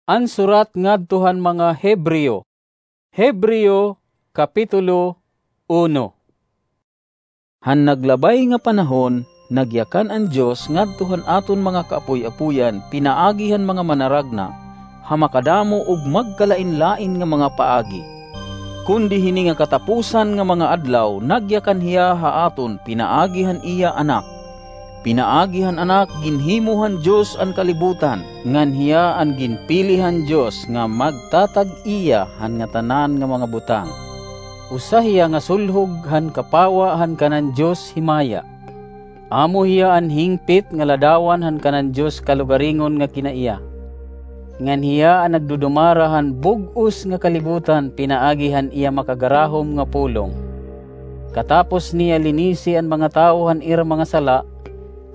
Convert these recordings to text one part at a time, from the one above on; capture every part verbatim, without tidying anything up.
An surat ngadto han mga Hebreo. Hebreo, Kapitulo uno. Han naglabay nga panahon, nagyakan an Dios ngadto han aton mga kaapoy-apoyan pinaagi han mga manaragna, ha makadamo ug magkalain-lain nga mga paagi. Kundi hini nga katapusan nga mga adlaw, nagyakan hiya ha aton pinaagi han iya Anak. Pinaagi han Anak, ginhimo han Dios an kalibutan, ngan hiya an ginpili han Dios nga magtatag-iya han ngatanan nga mga butang. Usa hiya nga sulhog han kapawa han kanan Dios himaya. Amo hiya an hingpit nga ladawan han kanan Dios kalugaringon nga kinaiya. Ngan hiya an nagdudumara han bug-os nga kalibutan pinaagi han iya makagarahom nga pulong. Katapos niya linisi an mga tawo han ira mga sala,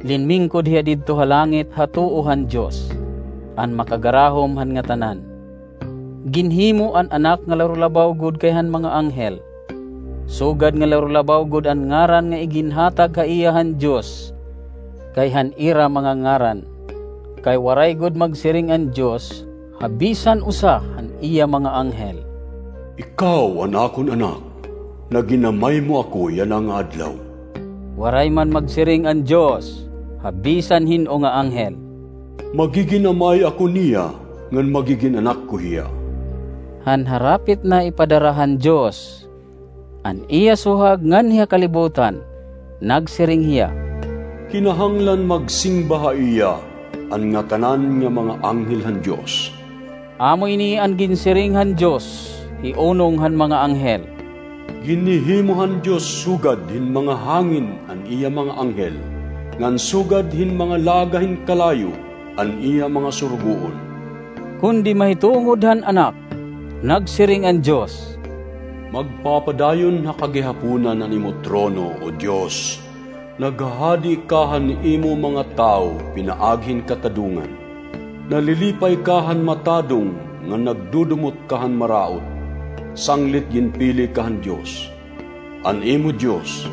linmingkod hiya didto ha langit ha tuo han Dios, an makagarahom han ngatanan. Ginhimo an Anak nga larulabaw gud kay han mga anghel, sugad nga larulabaw gud an ngaran nga iginhatag ha iya han Dios kay han ira mga ngaran. Kay waray gud magsiring an Dios ha bisan usa han iya mga anghel, "Ikaw an akon Anak, naginamay mo ako yana nga adlaw." Waray man magsiring an Dios ha bisan hin-o nga anghel, "Magiginamay ako niya ngan magigin-anak ko hiya." Han harapit na ipadara han Dios an iya suhag nganhi ha kalibutan, nagsiring hiya, "Kinahanglan magsingba ha iya an ngatanan nga mga anghel han Dios." Amo ini an ginsiring han Dios hiunong han mga anghel, "Ginhihimo han Dios sugad hin mga hangin an iya mga anghel, ngan sugad hin mga laga hin kalayo an iya mga surugoon." Kundi mahitungod han Anak, nagsiring an Dios, "Magpapadayon ha kagihaponan an imo trono, O Dios. Naghahadi ka han imo mga tawo pinaagi hin katadongan. Nalilipay ka han matadong ngan nagdudumot ka han maraot. Sanglit ginpili ka han Dios, an imo Dios,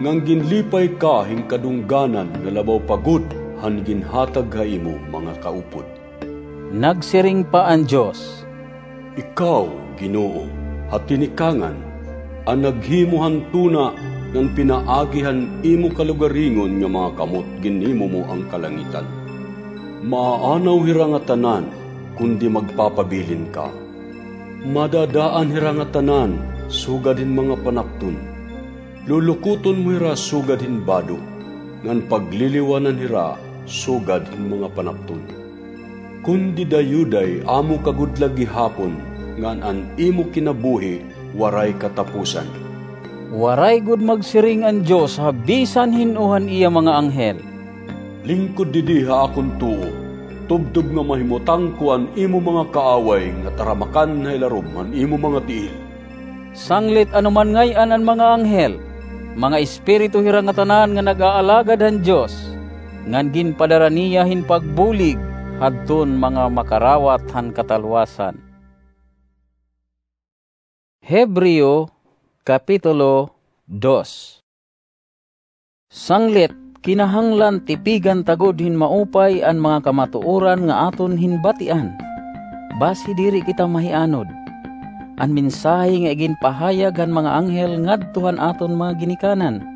ngan ginlipay ka hin kadungganan nga labaw pa gud han ginhatag ha imo mga kaupod." Nagsiring pa an Dios, "Ikaw, Ginoo, ha tinikangan, an naghimo han tuna ngan pinaagi han imo kalugaringon nga mga kamot ginhimo mo an kalangitan. Maaanaw hira ngatanan, kundi magpapabilin ka. Madadaan hira ngatanan sugad hin mga panapton. Lulukoton mo hira sugad hin bado, ngan pagliliwanan hira sugad hin mga panapton. Kundi dayuday amo ka gud la gihapon, ngan an imo kinabuhi waray kataposan." Waray gud magsiring an Dios ha bisan hin-o han iya mga anghel, "Lingkod didi ha akon tuo, tubtob nga mahimutang ko an imo mga kaaway nga taramakan ha ilarom han imo mga tiil." Sanglit ano man ngay-an an mga anghel, mga espiritu hira ngatanan nga nag-aalagad han Dios, ngan ginpadara niya hin pagbulig hadton mga makarawat han katalwasan. Hebreo, Kapitulo dos. Sanglit, kinahanglan tipigan ta gud hin maupay an mga kamatuoran nga aton hinbatian, basi diri kita mahianod. An mensahe nga iginpahayag han mga anghel ngadto han aton mga ginikanan,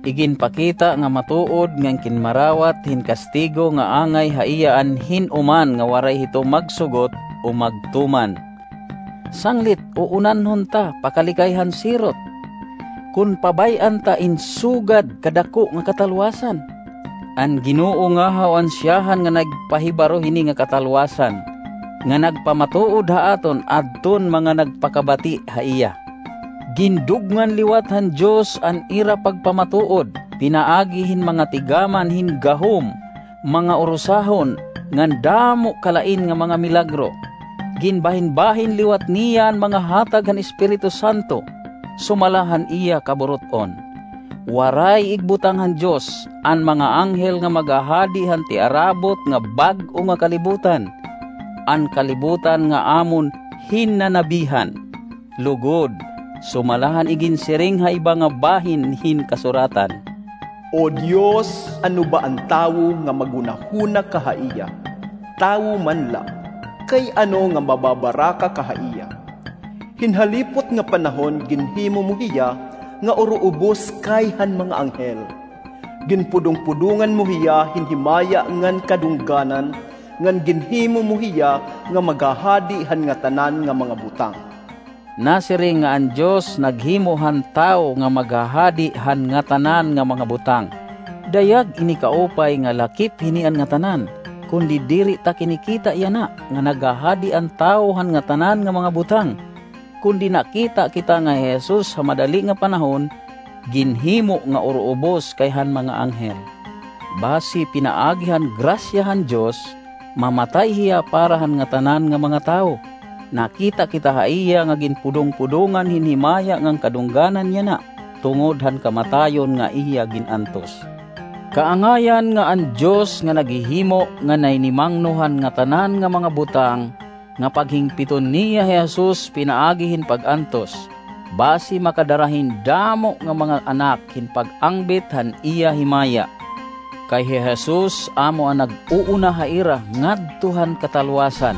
iginpakita nga matuod ngan kinmarawat hin kastigo nga angay ha iya an hin-o man nga waray hito magsugot o magtuman. Sanglit, uunanhon ta pakalikay han sirot, kon pabay-an ta in sugad kadako nga katalwasan. An Ginoo ngahaw an siyahan nga nagpahibaro hini nga katalwasan, nga nagpamatuod ha aton adton mga nagpakabati ha iya. Gindugngan liwat han Dios an ira pagpamatuod pinaagi hin mga tigaman hin gahom, mga urusahon, ngan damo kalain nga mga milagro. Ginbahinbahin liwat niya an mga hatag han Espiritu Santo, sumala han iya kaburut-on. Waray igbutang han Dios an mga anghel nga maghahadi han tiarabot nga bag-o nga kalibutan, an kalibutan nga amon hinnanabihan. Lugod, sumala han iginsiring ha iba nga bahin hin Kasuratan, "O Dios, ano ba an tawo nga maghunahuna ka ha iya? Tawo man la, Kay ano nga mababaraka ka ha iya? Hin halipot nga panahon ginhimo mo hiya nga uruubos kay han mga anghel. Ginpudongpudongan mo hiya hin himaya ngan kadungganan, ngan ginhimo mo hiya nga maghahadi han ngatanan nga mga butang. Nasiring nga an Dios naghimo han tawo nga maghahadi han ngatanan nga mga butang. Dayag ini kaupay nga lakip hini an ngatanan, kundi diri ta kinikita yana nga naghahadi an tawo han ngatanan nga mga butang. Kundi nakita kita nga hi Jesus ha madali nga panahon ginhimo nga uruubos kay han mga anghel. Basi pinaagi han grasya han Dios, mamatay hiya para han ngatanan nga mga tawo. Nakita kita ha iya nga ginpudongpudongan hin himaya ngan kadungganan yana tungod han kamatayon nga iya gin-antos. Kaangayan nga an Dios nga naghihimo nga nahinimangno han ngatanan nga mga butang, nga paghingpiton niya hi Jesus pinaagi hin pag-antos, basi makadara hin damo nga mga anak hin pag-angbit han iya himaya. Kay hi Jesus amo an nag-uuna ha ira ngadto han katalwasan.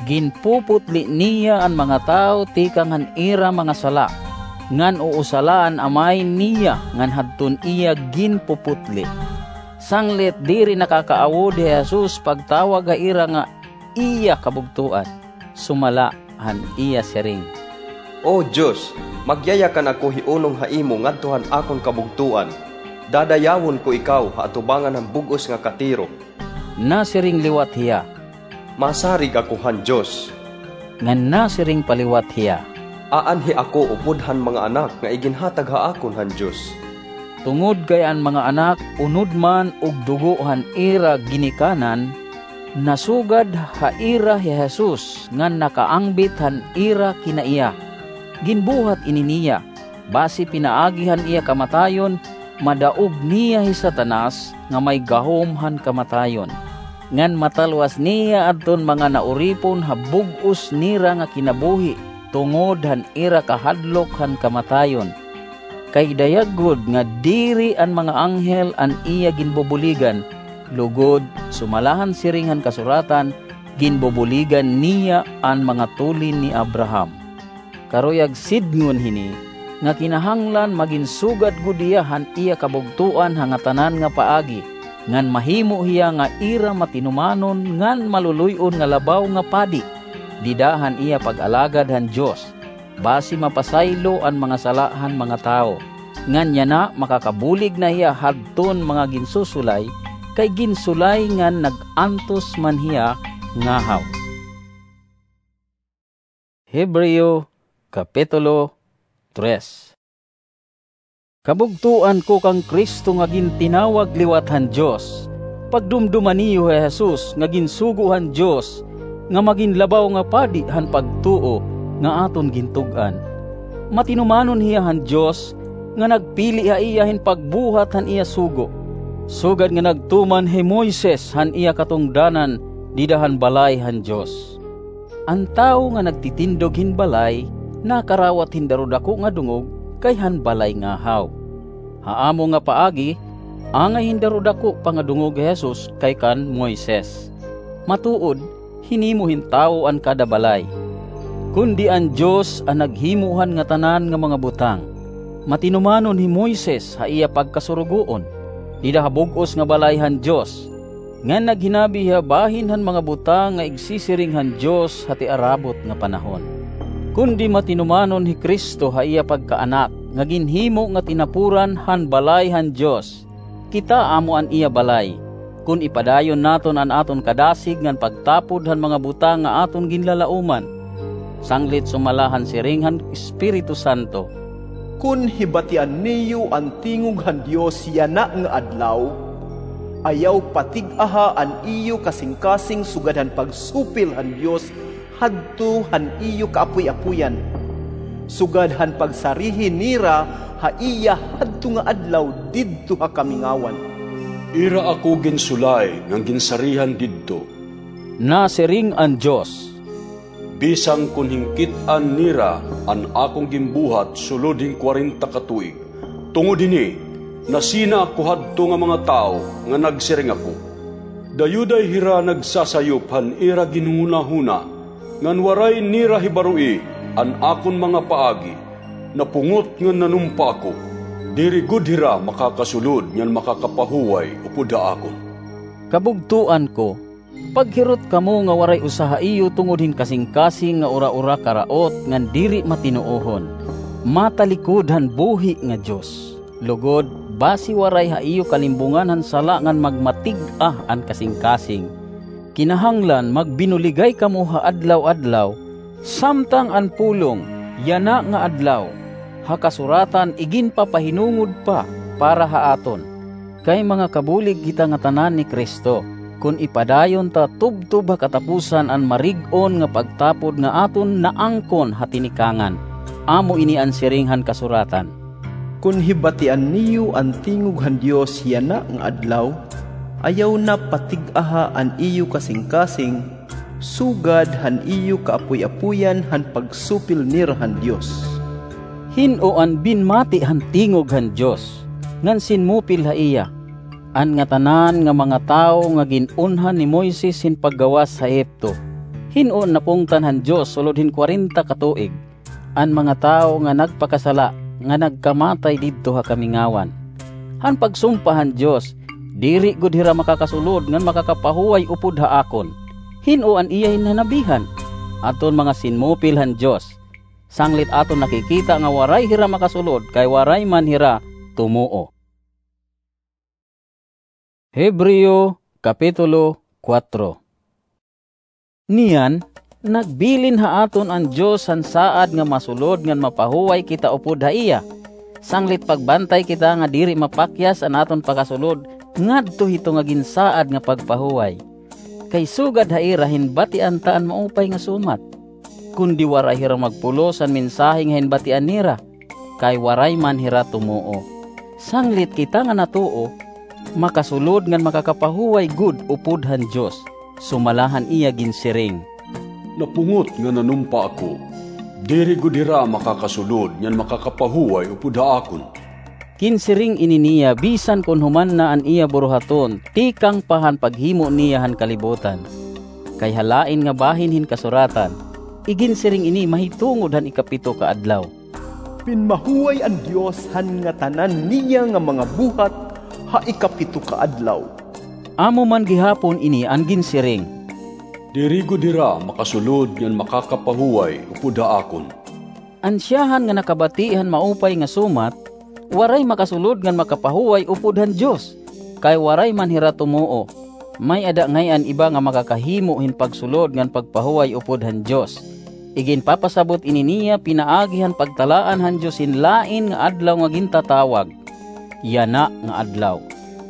Ginpuputli niya an mga tawo tikang han ira mga sala, ngan uusalaan Amay niya ngan hadton iya ginpuputli. Sanglit diri nakakaawod hi Jesus pagtawag ha ira nga iya kabugtoan, sumala han iya siring, "O Dios, magyayakan ako hiunong ha imo ngadto han akon kabugtoan. Dadayawon ko ikaw ha atubangan han bug-os nga katiro." Nasiring liwat hiya, "Masarig ako han Dios." Ngan nasiring pa liwat hiya, "Aanhi ako upod han mga anak nga iginhatag ha akon han Dios." Tungod kay an mga anak unod man ug dugo han ira ginikanan, nasugad ha ira hi Jesus ngan nakaangbit han ira kinaiya. Ginbuhat ini niya, basi pinaagi han iya kamatayon, madaog niya hi Satanas nga may gahom han kamatayon, ngan matalwas niya adton mga nauripon ha bug-os nira nga kinabuhi tungod han ira kahadlok han kamatayon. Kay dayag gud nga diri an mga anghel an iya ginbubuligan, lugod, sumala han siring han kasuratan, ginbubuligan niya an mga tulin ni Abraham. Karuyag sidngon hini, nga kinahanglan magin sugad gud hiya han iya kabugtoan ha ngatanan nga paagi, ngan mahimo hiya nga ira matinumanon ngan maluluy-on nga labaw nga padi, dida han iya pag-alagad han Dios, basi mapasaylo an mga sala han mga tawo. Ngan yana makakabulig na hiya hadton mga ginsusulay, kay ginsulay ngan nag-antos man hiya ngahaw. Hebreo, Kapitulo tres. Kabugtoan ko kan Cristo nga gintinawag liwat han Dios, pagdumduma niyo hi Jesus nga ginsugo han Dios nga magin labaw nga padi han pagtuo nga aton gintug-an. Matinumanon hiya han Dios nga nagpili ha iya hin pagbuhat han iya sugo, sugad nga nagtuman hi Moises han iya katungdanan dida han balay han Dios. An tawo nga nagtitindog hin balay nakarawat hin darudako nga dungog kay han balay ngahaw. Ha amo nga paagi, angay hin darudako pa nga dungog hi Jesus kay kan Moises. Matuod, hinimo hin tawo an kada balay. Kundi an Dios an naghimo han ngatanan nga mga butang. Matinumanon hi Moises ha iya pagkasurugoon, dida ha bug-os nga balay han Dios, ngan naghinabi hiya bahin han mga butang nga igsisiring han Dios ha tiarabot nga panahon. Kundi matinumanon hi Cristo ha iya pagkaanak nga ginhimo nga tinapuran han balay han Dios. Kita amo an iya balay, kon ipadayon naton an aton kadasig ngan pagtapod han mga butang nga aton ginlalaoman. Sanglit sumala han siring han Espiritu Santo, "Kon hibatian niyo an tingog han Dios yana nga adlaw, ayaw patig-aha an iyo kasingkasing sugad han pagsupil han Dios hadto han iyo kaapoy-apoyan, sugad han pagsarihi nira ha iya hadto nga adlaw didto ha kamingawan." "Ira ako ginsulay ngan ginsarihan didto," nasiring an Dios. "Bisan kon hingkit-an nira an akon ginbuhat sulod hin kwarenta ka tuig. Tungod hini, nasina ako hadto nga mga tawo nga nagsiring ako, Dayuday hira nagsasayop han ira ginhunahuna, ngan waray nira hibaroi an akon mga paagi. Napungot ngan nanumpa ako, diri gud hira makakasulod ngan makakapahuway upod ha akon. Kabugtoan ko, paghirot kamo nga waray usa ha iyo tungod hin kasingkasing nga uraura karaot ngan diri matinuohon, matalikod han buhi nga Dios. Lugod, basi waray ha iyo kalimbungan han sala ngan magmatig-a an kasingkasing. Kinahanglan magbinuligay kamo ha adlaw-adlaw, samtang an pulong yana nga adlaw ha kasuratan iginpapahinungod pa para ha aton. Kay mga kabulig kita ngatanan ni Cristo, kon ipadayon ta tubtob ha katapusan an marig-on nga pagtapod nga aton naangkon ha tinikangan. Amo ini an siring han kasuratan. Kon hibatian niyo an tingog han Dios yana nga adlaw, ayaw na patig-aha an iyo kasingkasing, sugad han iyo kaapoy-apoyan han pagsupil nira han Dios. Hin-o an binmati han tingog han Dios, ngan sinmupil ha iya? An ngatanan nga mga tawo nga gin-unhan ni Moises hin paggawas ha Egipto. Hin-o an napungtan han Dios sulod hin kwarenta ka tuig? An mga tawo nga nagpakasala nga nagkamatay didto ha kamingawan. Han pagsumpa han Dios, diri gud hira makakasulod ngan makakapahuway upod ha akon. Hin-o an iya hinhanabihan? Adton mga sinmupil han Dios. Sanglit aton nakikita nga waray hira makasulod kay waray man hira tumuo. Hebreo, Kapitulo kuwatro. Niyan, nagbilin ha aton an Dios han saad nga masulod ngan mapahuway kita upod ha iya, sanglit pagbantay kita nga diri mapakyas an aton pakasulod ngadto hito nga ginsaad nga pagpahuway. Kay sugad ha ira hinbatian ta an maupay nga sumat, kundi waray hira magpulos han mensahe nga hinbatian nira, kay waray man hira tumuo. Sanglit kita nga natuo, makasulod ngan makakapahuway gud upod han Dios, sumala han iya ginsiring, "Napungot nga nanumpa ako, diri gud hira makakasulod ngan makakapahuway upod ha akon." Ginsiring ini niya bisan kon human na an iya buruhaton tikang pa han paghimo niya han kalibutan. Kay ha lain nga bahin hin kasuratan, iginsiring ini mahitungod han ikapito ka adlaw. Pinmahuway an Dios han ngatanan niya nga mga buhat ha ikapito ka adlaw. Amo man gihapon ini an ginsiring, "Diri gud hira makasulod ngan makakapahuway upod ha akon." An siyahan nga nakabati han maupay nga sumat, waray makasulod ngan makapahuway upod han Dios, kay waray man hira tumuo. May-ada ngay-an iba nga makakahimo hin pagsulod ngan pagpahuway upod han Dios. Iginpapasabot ini niya pinaagi han pagtalaan han Dios hin lain nga adlaw nga gintatawag yana nga adlaw.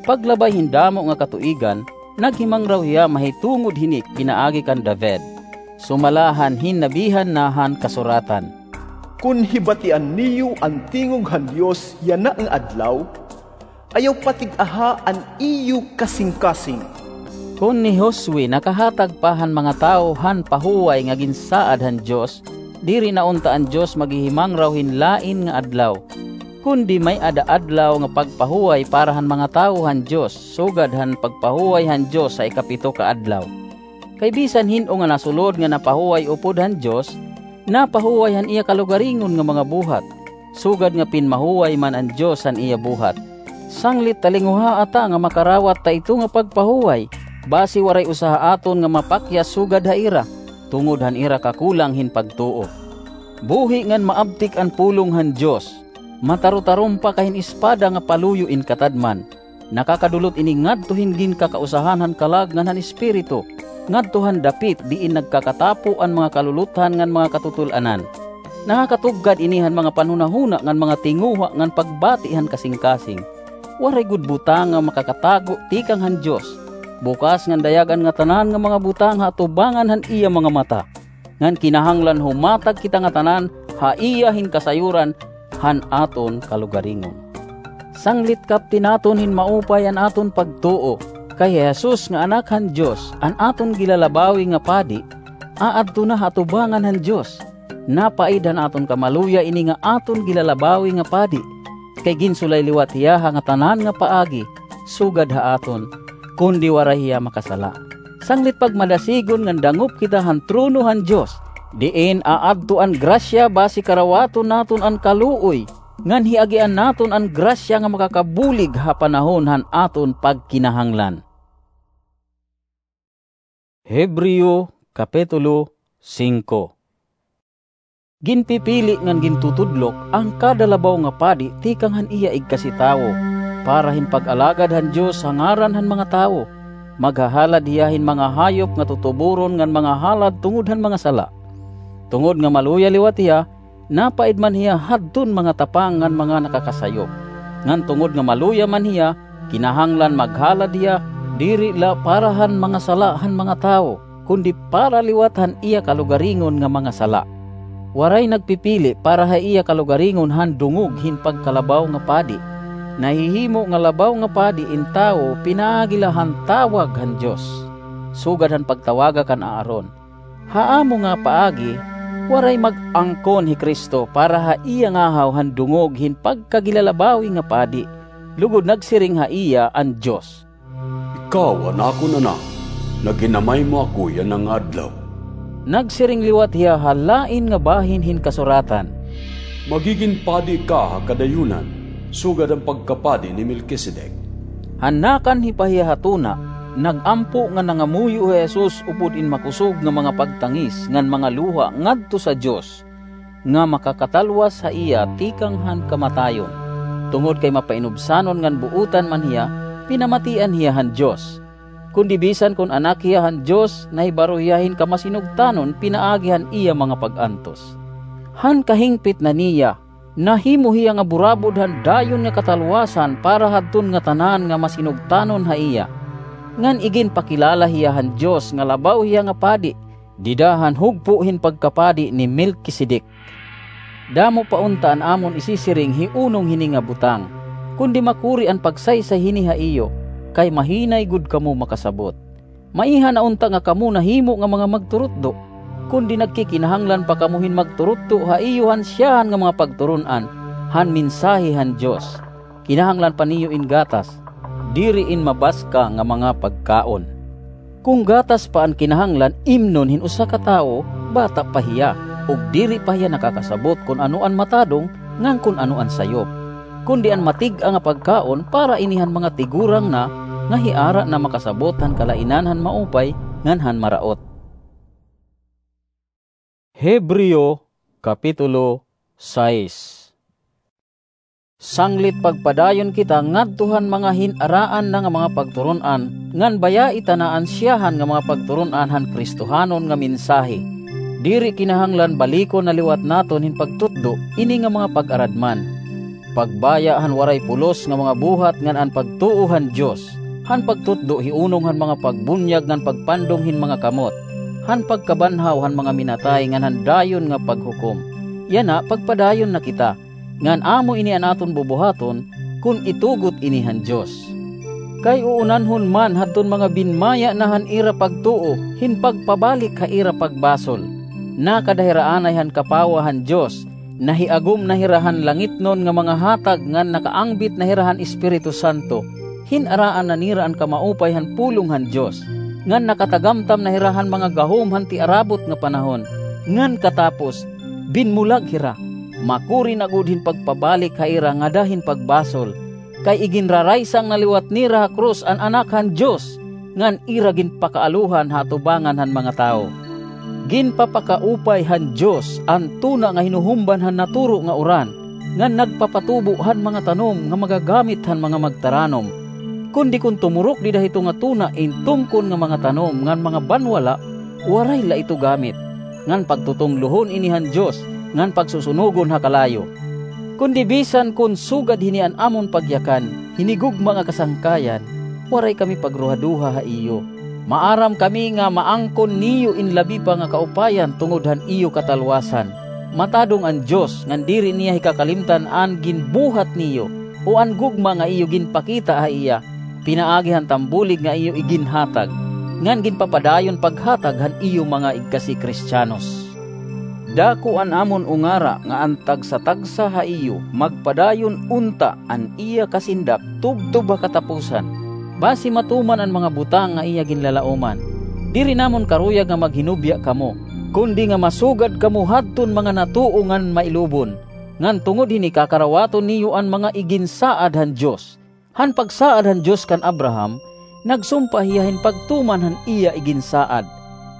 Paglabay hin damo nga katuigan, naghimangraw hiya mahitungod hini pinaagi kan David, sumala han hinnabihan na han kasuratan, "Kon hibatian niyo an tingog han Dios yana nga adlaw, ayaw patig-aha an iyo kasingkasing." Kon ni Josue nakahatag pa han mga tawo han pahuway nga ginsaad han Dios, diri na unta an Dios maghihimangraw hin lain nga adlaw, kundi may-ada adlaw nga pagpahuway para han mga tawo han Dios, sugad han pagpahuway han Dios ha ikapito ka adlaw. Kay bisan hin-o nga nasulod nga napahuway upod han Dios, napahuway han iya kalugaringon nga mga buhat, sugad nga pinmahuway man an Dios han iya buhat. Sanglit talinguhaa ta nga makarawat ta ito nga pagpahuway, basi waray usa ha aton nga mapakyas sugad ha ira, tungod han ira kakulang hin pagtuo. Buhi ngan maabtik an pulong han Dios, matarutarom pa kahin espada nga paluyo in katadman. Nakakadulot ini ngadto hin ginkakausahan han kalag ngan han espiritu, ngadto han dapit diin nagkakatapo an mga kaluluthan ngan mga katutul-anan. Nakakatugkad ini han mga panhunahuna ngan mga tinguha ngan pagbati han kasingkasing. Waray gud butang nga makakatago tikang han Dios. Bukas ngan dayag an ngatanan nga mga butang ha atubangan han iya mga mata. Ngan kinahanglan humatag kita ngatanan ha iya hin kasayuran han aton kalugaringon. Sanglit kapti naton hin maupay an aton pagtuo, kay hi Jesus nga Anak han Dios, an aton gilalabawi nga Padi, aadto na ha atubangan han Dios. Napaid han aton kamaluya ini nga aton gilalabawi nga Padi, kay ginsulay liwat hiya ha ngatanan nga paagi sugad ha aton. kundi waray hiya makasala. Sanglit pagmadasigon ngan dangop kita han trono han Dios, diin aadto an grasya basi karawaton naton an kaluoy, ngan hiagian naton an grasya nga makakabulig ha panahon han aton pagkinahanglan. Hebreo, Kapitulo singko. Ginpipili ngan gintutudlok an kada labaw nga padi tikang han iya igkasi tawo, para hin pag-alagad han Dios ha ngaran han mga tawo. Maghahalad hiya hin mga hayop nga tutuboron ngan mga halad tungod han mga sala. Tungod nga maluya liwat hiya, napaid man hiya hadton mga tapang ngan mga nakakasayop. Ngan tungod nga maluya man hiya, kinahanglan maghalad hiya, diri la para han mga sala han mga tawo, kundi para liwat han iya kalugaringon nga mga sala. Waray nagpipili para ha iya kalugaringon han dungog hin pagkalabaw nga padi. Nahihimo nga labaw nga padi in tawo pinaagi la han tawag han Dios, sugad han pagtawaga kan Aaron. Ha amo nga paagi, waray mag-angkon hi Cristo para ha iya ngahaw han dungog hin pagkagilalabawi nga padi, lugod nagsiring ha iya an Dios, "Ikaw an akon Anak, nga ginamay mo ako yana nga adlaw." Nagsiring liwat hiya ha lain nga bahin hin Kasuratan, "Magigin padi ka ha kadayonan, sugad han pagkapadi ni Melkisedek." Han nakanhi pa hiya ha tuna, nag-ampo nga nangamuyo hi Jesus upod in makusog nga mga pagtangis ngan mga luha ngadto sa Dios, nga makakatalwas ha iya tikang han kamatayon. Tungod kay mapainubsanon ngan buotan man hiya, pinamatian hiya han Dios. Kundi bisan kon Anak hiya han Dios, nahibaro hiya hin kamasinugtanon pinaagi han iya mga pag-antos. Han kahingpit na niya, nahimo hiya nga burabod han dayon nga katalwasan para hadton ngatanan nga masinugtanon ha iya. Ngan iginpakilala hiya han Dios nga labaw hiya nga padi, dida han hugpo hin pagkapadi ni Melkisedek. Damo pa unta an amon isisiring hiunong hini nga butang, kundi makuri an pagsaysay hini ha iyo, kay mahinay gud kamo makasabot. Maiha na unta nga kamo nahimo nga mga magturutdo, kundi nagkikinahanglan pa kamo hin magturutdo ha iyo han siyahan nga mga pagturon-an, han mensahe han Dios. Kinahanglan pa niyo in gatas, diri in mabaska nga mga pagkaon. Kon gatas pa an kinahanglan imnon hin usa ka tawo, bata pa hiya, ug diri pa hiya nakakasabot kon ano an matadong ngan kon ano an sayop. Kundi an matig-a nga pagkaon para ini han mga tigurang na, nga hiara na makasabot han kalainan han maupay ngan han maraot. Hebreo, Kapitulo sais. Sanglit pagpadayon kita ngadto han mga hin-araan na nga mga pagturon-an, ngan bayai tana an siyahan nga mga pagturon-an han Kristohanon nga mensahe. Diri kinahanglan balikon na liwat naton hin pagtutdo ini nga mga pag-aradman. Pagbaya han waray pulos nga mga buhat ngan an pagtuo han Dios, han pagtutdo hiunong han mga pagbunyag ngan pagpandong hin mga kamot, han pagkabanhaw han mga minatay ngan han dayon nga paghukom. Yana, pagpadayon na kita, ngan amo ini an aton bubuhaton, kon itugot ini han Dios. Kay uunanhon man hadton mga binmaya na han ira pagtuo hin pagpabalik ha ira pagbasol. Nakada hira anay han kapawa han Dios, nahiagom na hira han langitnon nga mga hatag ngan nakaangbit na hira han Espiritu Santo. Hin-araan na nira an kamaupay han pulong han Dios, ngan nakatagamtam na hira han mga gahom han tiarabot nga panahon. Ngan katapos, binmulag hira. Makuri na gud hin pagpabalik ha ira ngada hin pagbasol, kay iginraraysang na liwat nira ha krus an Anak han Dios, ngan ira ginpakaaluhan ha atubangan han mga tawo. Ginpapakaupay han Dios an tuna nga hinuhumban han naturo nga uran, ngan nagpapatubo han mga tanom nga magagamit han mga magtaranom. Kundi kon tumurok dida hito nga tuna in tumkon nga mga tanom ngan mga banwala, waray la ito gamit, ngan pagtutunglohon ini han Dios, ngan pagsusunogon ha kalayo. Kundi bisan kon sugad hini an amon pagyakan, hinigugma nga kasangkayan, waray kami pagruhaduha ha iyo. Maaram kami nga maangkon niyo in labi pa nga kaupayan tungod han iyo katalwasan. Matadong an Dios ngan diri niya hikakalimtan an ginbuhat niyo, o an gugma nga iyo ginpakita ha iya, pinaagi han tambulig nga iyo iginhatag, ngan ginpapadayon paghatag han iyo mga igkasi Kristiyanos. Dako an amon ungara nga an tagsa-tagsa ha iyo magpadayon unta an iya kasindak tubtob ha katapusan. basi matuman an mga butang nga iya ginlalaoman. Diri namon karuyag nga maghinubya kamo, kundi nga masugad kamo hadton mga natuo ngan mailubon, ngan tungod hini kakarawaton niyo an mga iginsaad han Dios. Han pagsaad han Dios kan Abraham, nagsumpa hiya hin pagtuman han iya iginsaad.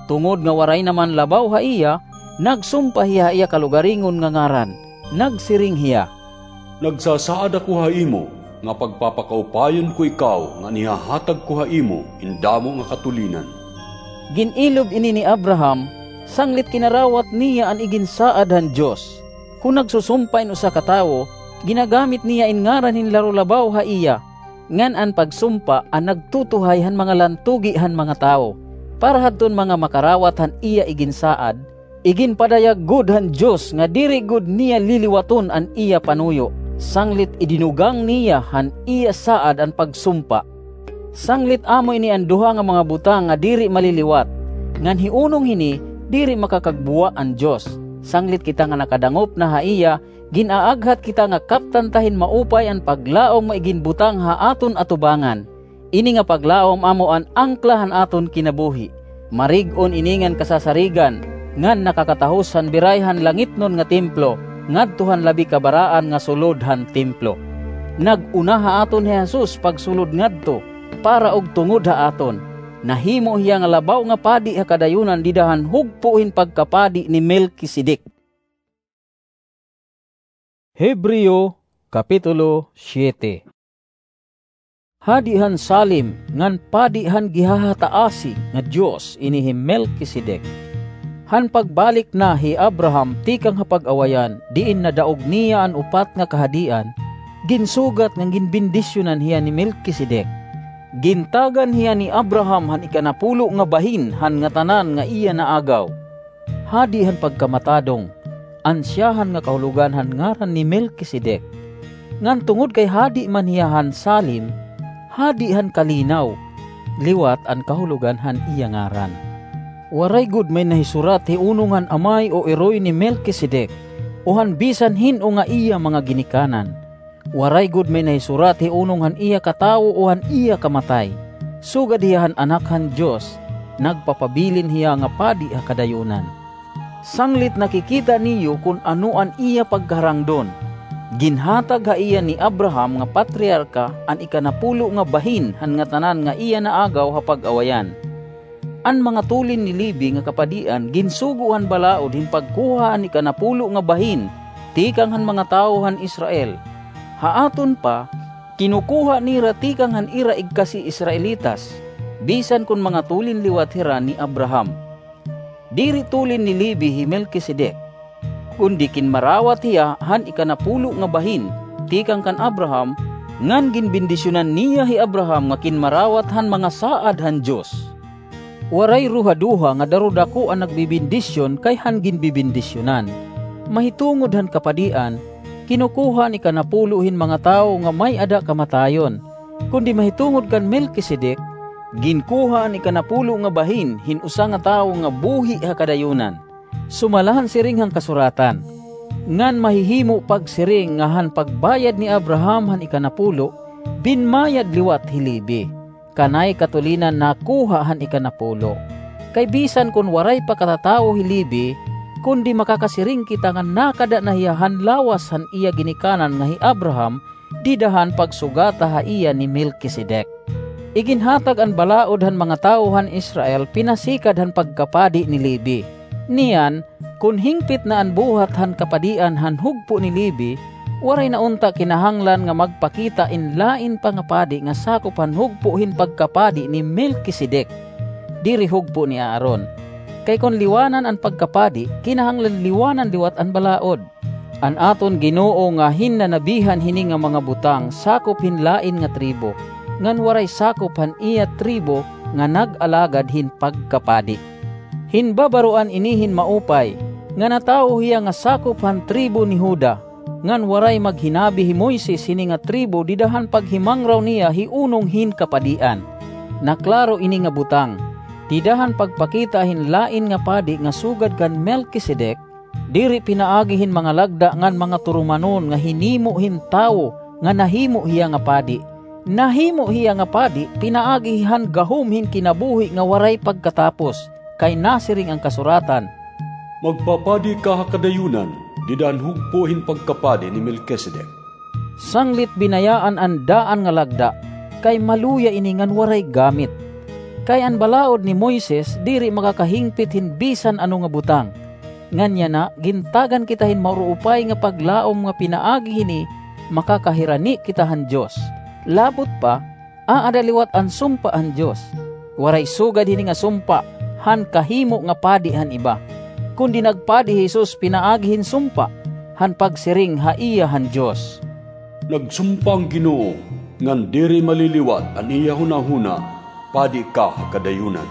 Tungod nga waray naman labaw ha iya, nagsumpa hiya ha iya kalugaringon nga ngaran. Nagsiring hiya, "Nagsasaad ako ha imo nga pagpapakaupayon ko ikaw ngan ihahatag ko ha imo in damo nga katulinan." Gin-ilob ini ni Abraham, sanglit kinarawat niya an iginsaad han Dios. Kon nagsusumpa in usa ka tawo, ginagamit niya in ngaran hin larulabaw ha iya, ngan an pagsumpa an nagtutuhay han mga lantugi han mga tawo, para hadton mga makarawat han iya iginsaad. Iginpadayag gud han Dios nga diri gud niya liliwaton an iya panuyo, sanglit idinugang niya han iya saad an pagsumpa. Sanglit amo ini an duha nga mga butang nga diri maliliwat, ngan hiunong hini diri makakagbuwa an Dios. Sanglit kita nga nakadangop na ha iya, gin-aaghat kita nga kaptan ta hin maupay an paglaom nga iginbutang ha aton atubangan. Ini nga paglaom amo an angkla han aton kinabuhi. Marig-on ini ngan kasasarigan, ngan nakakatahos han biray han langitnon nga templo, ngadto han labi kabaraan nga sulod han templo. Nag-una ha aton hi Jesus pagsulod ngadto, para ug tungod ha aton. Nahimo hiya nga labaw nga padi ha kadayonan dida han hugpo hin pagkapadi ni Melkisedek. Hebreo, Kapitulo siete. Hadi han Salem ngan padi han gihahataasi nga Dios ini hi Melkisedek. Han pagbalik na hi Abraham tikang ha pag-awayan diin nadaog niya an upat nga kahadian, ginsugat ngan ginbendisyonan hiya ni Melkisedek. Gintagan hiya ni Abraham han ikanapulo nga bahin han ngatanan nga iya naagaw. Hadi han pagkamatadong, ansyahan nga kahulogan han ngaran ni Melkisedek. Ngan tungod kay hadi man hiya han Salem, hadi han kalinaw, liwat an kahulogan han iya ngaran. Waray gud may nahisurat hi unong han amay o iroy ni Melkisedek, o han bisan hin-o nga iya mga ginikanan. Waray gud may nahisurat hi unong han iya katawo o han iya kamatay. Sugad hiya han Anak han Dios, nagpapabilin hiya nga padi ha kadayonan. Sanglit nakikita niyo kon ano an iya pagkaharangdon. Ginhatag ha iya ni Abraham nga patriarka an ikanapulo nga bahin han ngatanan nga iya naagaw ha pag-awayan. An mga tulin ni Levi nga kapadian ginsugo han balaod hin pagkuha han ikanapulo nga bahin tikang han mga tawo han Israel. Ha aton pa, kinukuha nira tikang han ira igkasi-Israelitas, bisan kon mga tulin liwat hira ni Abraham. Diri tulin ni Levi hi Melkisedek, kundi kinmarawat hiya han ikanapulo nga bahin tikang kan Abraham, ngan ginbendisyonan niya hi Abraham nga kinmarawat han mga saad han Dios. Waray ruhaduha nga darudako an nagbebendisyon kay han ginbebendisyonan. Mahitungod han kapadian, kinukuha an ikanapulo hin mga tawo nga may-ada kamatayon, kundi mahitungod kan Melkisedek, ginkuha an ikanapulo nga bahin hin usa nga tawo nga buhi ha kadayonan. Sumala han siring han kasuratan, ngan mahihimo pagsiring nga han pagbayad ni Abraham han ikanapulo, binmayad liwat hi Levi, kanay katulinan nakuha han ikanapulo. Kay bisan kon waray pa katatawo hi Levi, kundi makakasiring kita nga nakada na hiya han lawas han iya ginikanan nga hi Abraham, dida han pagsugata ha iya ni Melkisedek. Iginhatag an balaod han mga tawo han Israel pinasikad han pagkapadi ni Levi. Niyan, kon hingpit na an buhat han kapadian han hugpo ni Levi, waray na unta kinahanglan nga magpakita in lain pa nga padi nga sakop han hugpo hin pagkapadi ni Melkisedek, diri hugpo ni Aaron. Kay kon liwanan an pagkapadi, kinahanglan liwanan liwat an balaod. An aton Ginoo nga hinnanabihan hini nga mga butang sakop hin lain nga tribo, ngan waray sakop han iya tribo nga nag-alagad hin pagkapadi. Hinbabaroan ini hin maupay, nga natawo hiya nga sakop han tribo ni Juda, ngan waray maghinabi hi Moises hini nga tribo dida han paghimangraw niya hi unong hin kapadian. Naklaro ini nga butang, dida han pagpakita hin lain nga padi nga sugad kan Melkisedek, diri pinaagi hin mga lagda ngan mga turumanon nga hinimo hin tawo nga nahimo hiya nga padi, Nahimo hiya nga padi pinaagi han gahom hin kinabuhi nga waray pagkatapos, kay nasiring an kasuratan, "Magpapadi ka ha kadayonan, dida han hugpo hin pagkapadi ni Melkisedek." Sanglit binayaan an daan nga lagda, kay maluya ini ngan waray gamit. Kay an balaod ni Moises diri makakahingpit hin bisan ano nga butang. Ngan yana, gintagan kita hin mauruupay nga paglaom nga pinaagi hini makakahirani kita han Dios. Labot pa, aada liwat an sumpa han Dios. Waray sugad hini nga sumpa han kahimo nga padi han iba. Kundi nagpadi hi Jesus pinaagi hin sumpa, han pagsiring ha iya han Dios, "Nagsumpa an Ginoo, ngan diri maliliwat an iya hunahuna, padi ka ha kadayonan."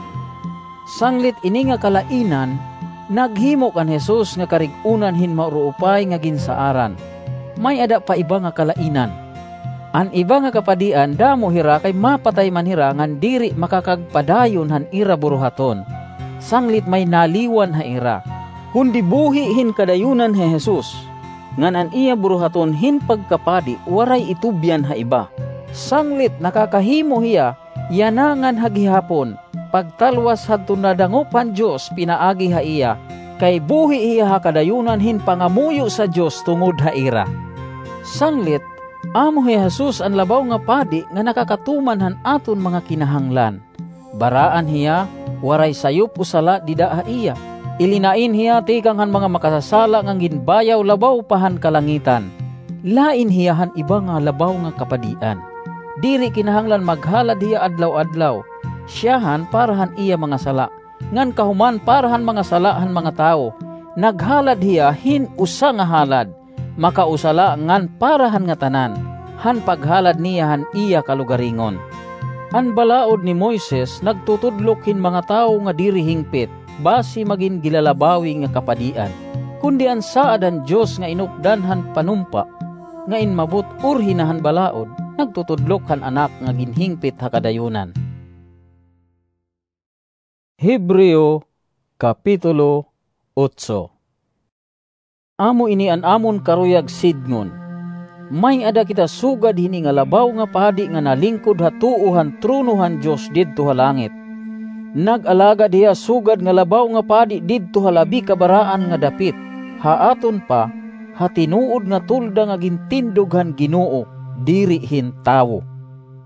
Sanglit ini nga kalainan, naghimo kan Jesus nga karig-onan hin mauruupay nga ginsaaran. May-ada pa iba nga kalainan. An iba nga kapadian, damo hira kay mapatay man hira ngan diri makakagpadayon han ira buruhaton, sanglit may naliwan ha ira. Kundi buhi hin kadayonan hi Jesus, ngan an iya buruhaton hin pagkapadi waray itubyan ha iba. Sanglit nakakahimo hiya yana ngan ha gihapon, pagtalwas hadton nadangop han Dios pinaagi ha iya, kay buhi hiya ha kadayonan hin pangamuyo sa Dios tungod ha ira. Sanglit, amo hi Jesus an labaw nga padi nga nakakatuman han aton mga kinahanglan. Baraan hiya, waray sayop o sala dida ha iya. Ilinain hiya tikang han mga makasasala ngan ginbayaw labaw pa han kalangitan. Lain hiya han iba nga labaw nga kapadian. Diri kinahanglan maghalad hiya adlaw-adlaw. Siyahan para han iya mga sala, ngan kahuman para han mga sala han mga tawo. Naghalad hiya hin usa nga halad, makausa la ngan para han ngatanan, han paghalad niya han iya kalugaringon. An balaod ni Moises nagtutudlok hin mga tawo nga diri hingpit, basi magin gilalabawi nga kapadian. Kundi an saad han Dios nga inupdan han panumpa, nga inmabot urhi na han balaod, nagtutudlok han Anak nga ginhingpit ha kadayonan. Hebreo, Kapitulo otso. Amo ini an amon karuyag sidngon. May-ada kita sugad hini nga labaw nga padi nga nalingkod ha tuo han trono han Dios didto ha langit. Nag-alagad hiya sugad nga labaw nga padi didto ha labi kabaraan nga dapit, ha aton pa, ha tinuod nga tolda nga gintindog han Ginoo, diri hin tawo.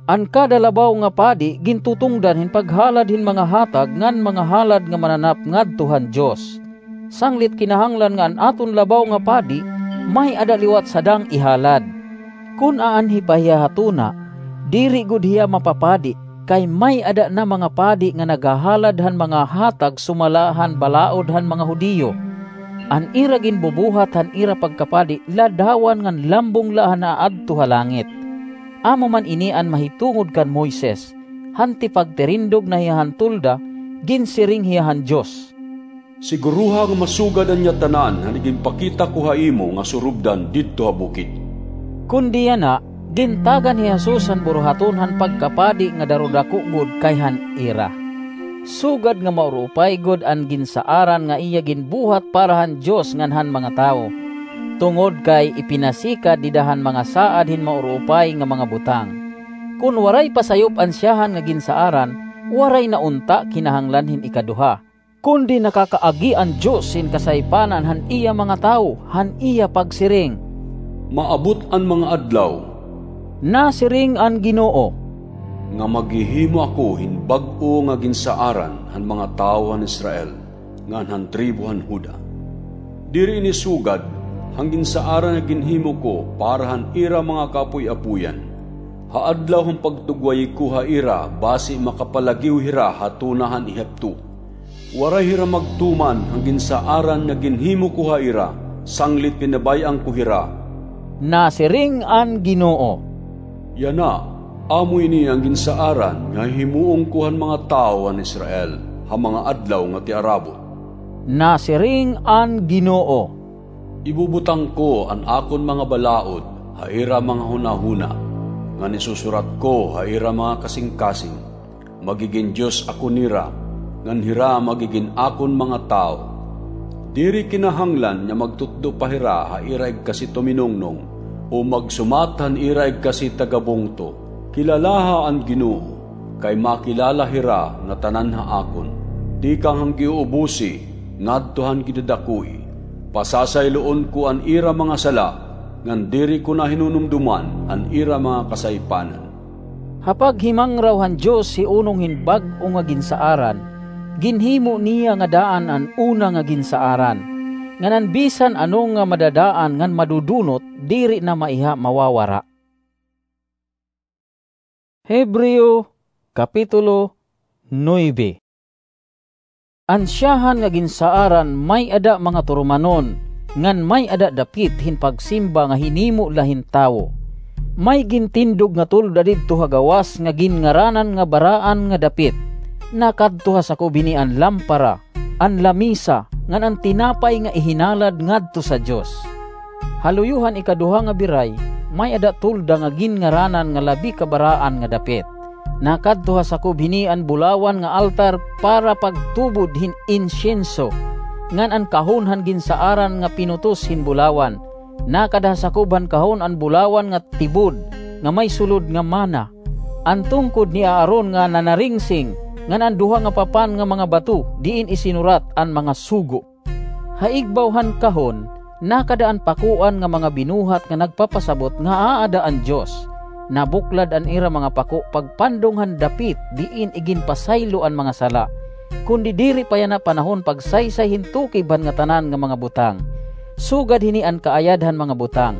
An kada labaw nga padi gintutungdan hin paghalad hin mga hatag ngan mga halad nga mananap ngadto han Dios. Sanglit kinahanglan nga an aton labaw nga padi may-ada liwat sadang ihalad. Kon aanhi pa hiya ha tuna, diri gud hiya mapapadi, kay may-ada na mga padi nga naghahalad han mga hatag sumala han balaod han mga Judio. An ira ginbubuhat han ira pagkapadi ladawan ngan lambong la han aadto ha langit. Amo man ini an mahitungod kan Moises, han tipagtirindog na hiya han tolda, ginsiring hiya han Dios, "Siguroha nga masugad an iya tanan han iginpakita ko ha imo nga surubdan didto ha bukid." Kundi yana, gintagan hi Jesus han buruhaton han pagkapadi nga darudako gud kay han ira. Sugad nga mauruupay gud an ginsaaran nga iya ginbuhat para han Dios ngan han mga tawo. Tungod kay ipinasikad dida han mga saad hin mauruupay nga mga butang. Kon waray pa sayop an siyahan nga ginsaaran, waray na unta kinahanglan hin ikaduha. Kundi nakakaagi an Dios hin kasaypanan han iya mga tawo, han iya pagsiring, "Maabot an mga adlaw," nasiring an Ginoo, "nga maghihimo ako hin bag-o nga ginsaaran han mga tawo han Israel, ngan han tribo han Juda. Diri ini sugad han ginsaaran nga ginhimo ko para han ira mga kaapoy-apoyan, ha adlaw han pagtugwayi ko ha ira basi makapalagiw hira ha tuna han Ehipto. Waray hira magtuman han ginsaaran nga ginhimo ko ha ira, sanglit pinabay-an ko hira," nasiring an Ginoo. Yana, amo ini an ginsaaran nga hihimuon ko han mga tawo han Israel ha mga adlaw nga tiarabot, nasiring an Ginoo. Ibubutang ko an akon mga balaod ha ira mga hunahuna, ngan isusurat ko ha ira mga kasingkasing. Magigin Dios ako nira, ngan hira magigin akon mga tawo. Diri kinahanglan nga magtutdo pa hira ha ira igkasi tuminungnong, o magsumat han ira igkasi tagabungto, Kilalaha an Ginoo, kay makilala hira nga tanan ha akon. Tikang han giuubosi ngadto han gidadakoi, pasasayloon ko an ira mga sala, ngan diri ko na hinunumdoman an ira mga kasaypanan. Ha paghimangraw han Dios hiunong hin bag-o nga ginsaaran, ginhimo niya nga daan an una nga ginsaaran, ngan an bisan ano nga madadaan ngan madudunot diri na maiha mawawara. Hebreo, Kapitulo nuebe. An siyahan nga ginsaaran may-ada mga turumanon, ngan may-ada dapit hin pagsimba nga hinimo la hin tawo. May gintindog nga tolda didto ha gawas nga ginngaranan nga Baraan nga Dapit. Nakadto ha sakob hini an lampara, an lamisa, ngan an tinapay nga ihinalad ngadto sa Dios. Ha luyo han ikaduha nga biray, may-ada tolda nga ginngaranan nga Labi ka Baraan nga Dapit. Nakadto ha sakob hini an bulawan nga altar para pagtubod hin insyenso, ngan an kahon han ginsaaran nga pinutos hin bulawan. Nakada ha sakob han kahon an bulawan nga tibod nga may sulod nga mana, an tungkod ni Aaron nga nanaringsing, ngan an duha nga papan nga mga bato diin isinurat an mga sugo. Ha igbaw han kahon, nakada an pakuan nga mga binuhat nga nagpapasabot nga aada an Dios. Nabuklad an ira mga pako pagpandong han dapit diin iginpasaylo an mga sala. Kundi diri pa yana panahon pagsaysay hin tukib han ngatanan nga mga butang. Sugad hini an kaayad han mga butang.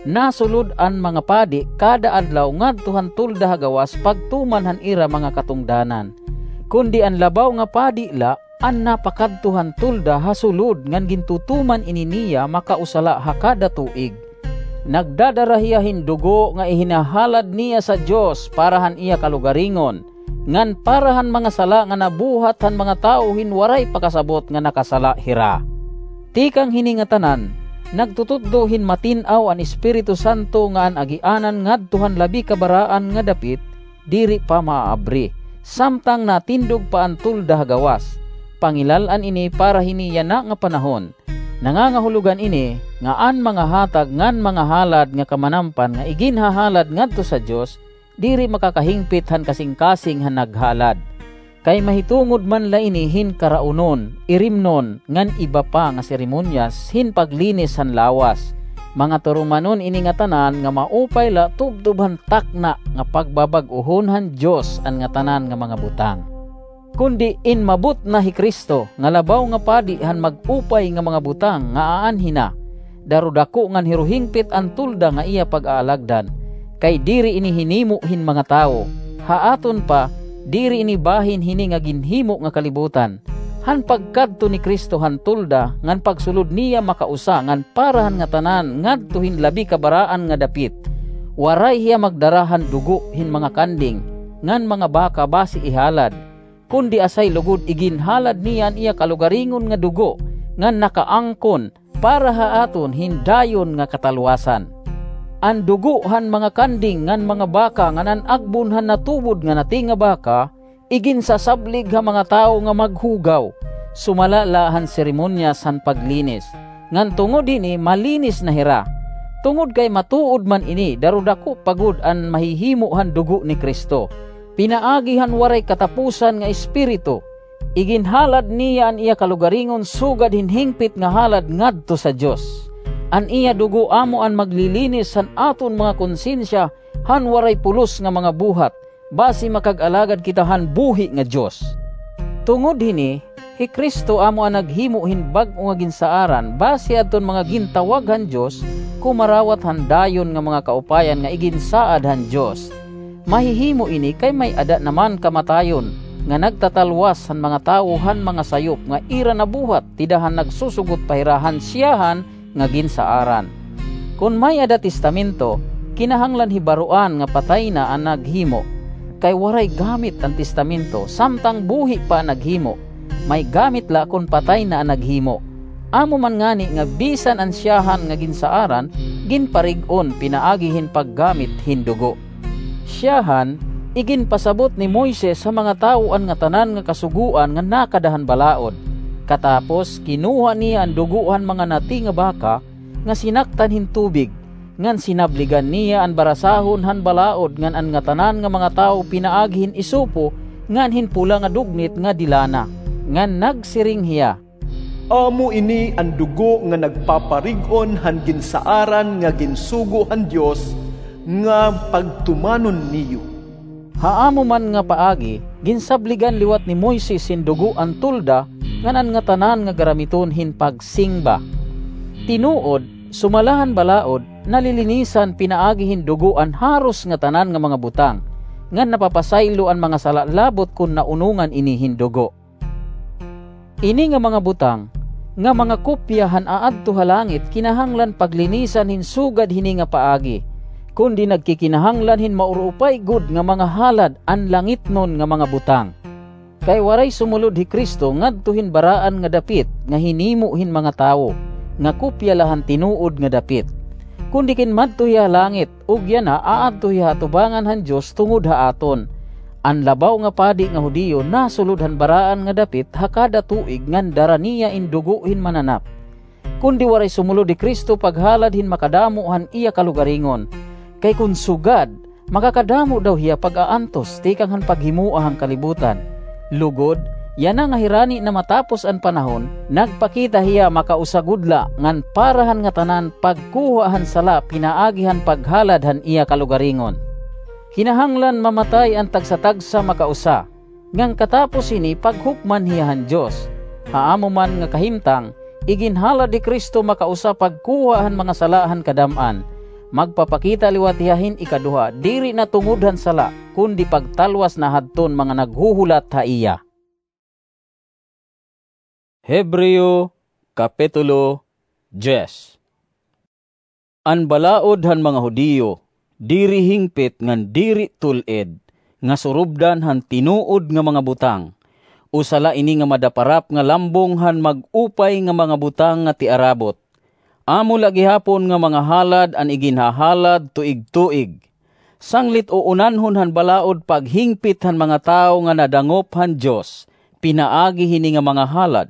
Nasulod an mga padi kada adlaw ngadto han tolda ha gawas pagtuman han ira mga katungdanan. Kundi an labaw nga padi la, an napakadto han tolda ha sulod ngan gintutuman ini niya makausa la ha kada tuig. Nagdadara hiya hin dugo nga ihinahalad niya sa Dios para han iya kalugaringon, ngan para han mga sala nga nabuhat han mga tawo hin waray pakasabot nga nakasala hira. Tikang hini ngatanan, nagtututdo hin matin-aw an Espiritu Santo nga an agianan ngadto han Labi ka Baraan nga Dapit, diri pa maaabri, samtang natindog pa an tolda ha gawas. Pangilal-an ini para hini yana nga panahon. Nangangahulogan ini nga an mga hatag ngan mga halad nga kamanampan nga iginhahalad ngadto sa Dios, diri makakahingpit han kasingkasing han naghalad. Kay mahitungod man la ini hin karaunon, irimnon, ngan iba pa nga seremonyas hin paglinis han lawas. Mga turumanon ini ngatanan nga maupay la tubtob han takna nga pagbabag-ohon han Dios an ngatanan nga mga butang. Kundi inmabot na hi Cristo nga labaw nga padi han mag-upay nga mga butang nga aanhi na, darudako ngan hiruhingpit an tolda nga iya pag-aalagdan, kay diri ini hinimo hin mga tawo. Ha aton pa, diri ini bahin hini nga ginhimo nga kalibutan. Han pagkadto ni Cristo han tolda ngan pagsulod niya makausa ngan para han ngatanan ngadto hin Labi ka Baraan nga Dapit, waray hiya magdara han dugo hin mga kanding ngan mga baka basi ihalad, kundi asay lugod iginhalad niya an iya kalugaringon nga dugo ngan nakaangkon para ha aton hin dayon nga katalwasan. An dugo han mga kanding ngan mga baka ngan an agbon han natubod nga nati nga baka, iginsasablig ha mga tawo nga maghugaw, sumala la han seremonyas han paglinis, ngan tungod hini malinis na hira. Tungod kay matuod man ini, darudako pa gud an mahihimo han dugo ni Cristo, pinaagi han waray katapusan nga Espiritu. Iginhalad niya an iya kalugaringon sugad hin hingpit nga halad ngadto sa Dios. An iya dugo amo an maglilinis han aton mga konsensiya han waray pulos nga mga buhat, basi makag-alagad kita han buhi nga Dios. Tungod hini, hi Cristo amo an naghimo hin bag-o nga ginsaaran, basi adton mga gintawag han Dios, kumarawat han dayon nga mga kaupayan nga iginsaad han Dios. Mahihimo ini kay may-ada naman kamatayon nga nagtatalwas han mga tawo han mga sayop nga ira nabuhat dida han nagsusugot pa hira han siyahan nga ginsaaran. Kon may-ada testamento, kinahanglan hibaroan nga patay na an naghimo. Kay waray gamit an testamento samtang buhi pa an naghimo. May gamit la kon patay na an naghimo. Amo man ngani nga bisan an siyahan nga ginsaaran, ginparig-on pinaagi hin paggamit hin dugo. Siyahan, iginpasabot ni Moises ha mga tawo an ngatanan nga kasugoan nga nakada han balaod. Katapos, kinuha niya an dugo han mga nati nga baka nga sinaktan hin tubig, ngan sinabligan niya an barasahon han balaod ngan an ngatanan nga mga tawo pinaagi hin isopo ngan hin pula nga dugnit nga de lana, ngan nagsiring hiya, "Amo ini an dugo nga nagpaparig-on han ginsaaran nga ginsugo han Dios nga pagtumanon niyo." Ha amo man nga paagi, ginsabligan liwat ni Moises hin dugo an tolda ngan an ngatanan nga garamiton hin pagsingba. Tinuod, sumala han balaod, nalilinisan pinaagi hin dugo an haros ngatanan nga mga butang, ngan napapasaylo an mga sala labot kon naunongan ini hin dugo. Ini nga mga butang, nga mga kopya han aadto ha langit, kinahanglan paglinisan hin sugad hini nga paagi, kundi nagkikinahanglan hin mauruupay gud nga mga halad an langitnon nga mga butang. Kay waray sumulod hi Cristo ngadto hin baraan nga dapit nga hinimo hin mga tawo, nga kopya la han tinuod nga dapit. Kundi kinmadto hiya ha langit, ug yana aadto hiya ha atubangan han Dios tungod ha aton. An labaw nga padi nga Judio nasulod han baraan nga dapit ha kada tuig ngan dara niya in dugo hin mananap. Kundi waray sumulod hi Cristo paghalad hin makadamo han iya kalugaringon. Kay kon sugad, makakadamo daw hiya pag-aantos tikang han paghimoa han kalibutan. Lugod, yana nga hirani na matapos an panahon, nagpakita hiya makausa gud la ngan para han ngatanan pagkuha han sala pinaagi han paghalad han iya kalugaringon. Kinahanglan mamatay an tagsa-tagsa makausa, ngan katapos hini paghukman hiya han Dios. Ha amo man nga kahimtang, iginhalad hi Cristo makausa pagkuha han mga sala han kadam-an. Magpapakita liwat hiya hin ikaduha, diri na tungod han sala, kundi pagtalwas na hadton mga naghuhulat ha iya. Hebreo, Kapitulo diyes. An balaod han mga Judio, diri hingpit ngan diri tul-id, nga surubdan han tinuod nga mga butang. Usa la ini nga madaparap nga lambong han mag-upay nga mga butang nga tiarabot. Amo la gihapon nga mga halad an iginhahalad tuig-tuig. Sanglit uunanhon han balaod paghingpit han mga tawo nga nadangop han Dios, pinaagi hini nga mga halad.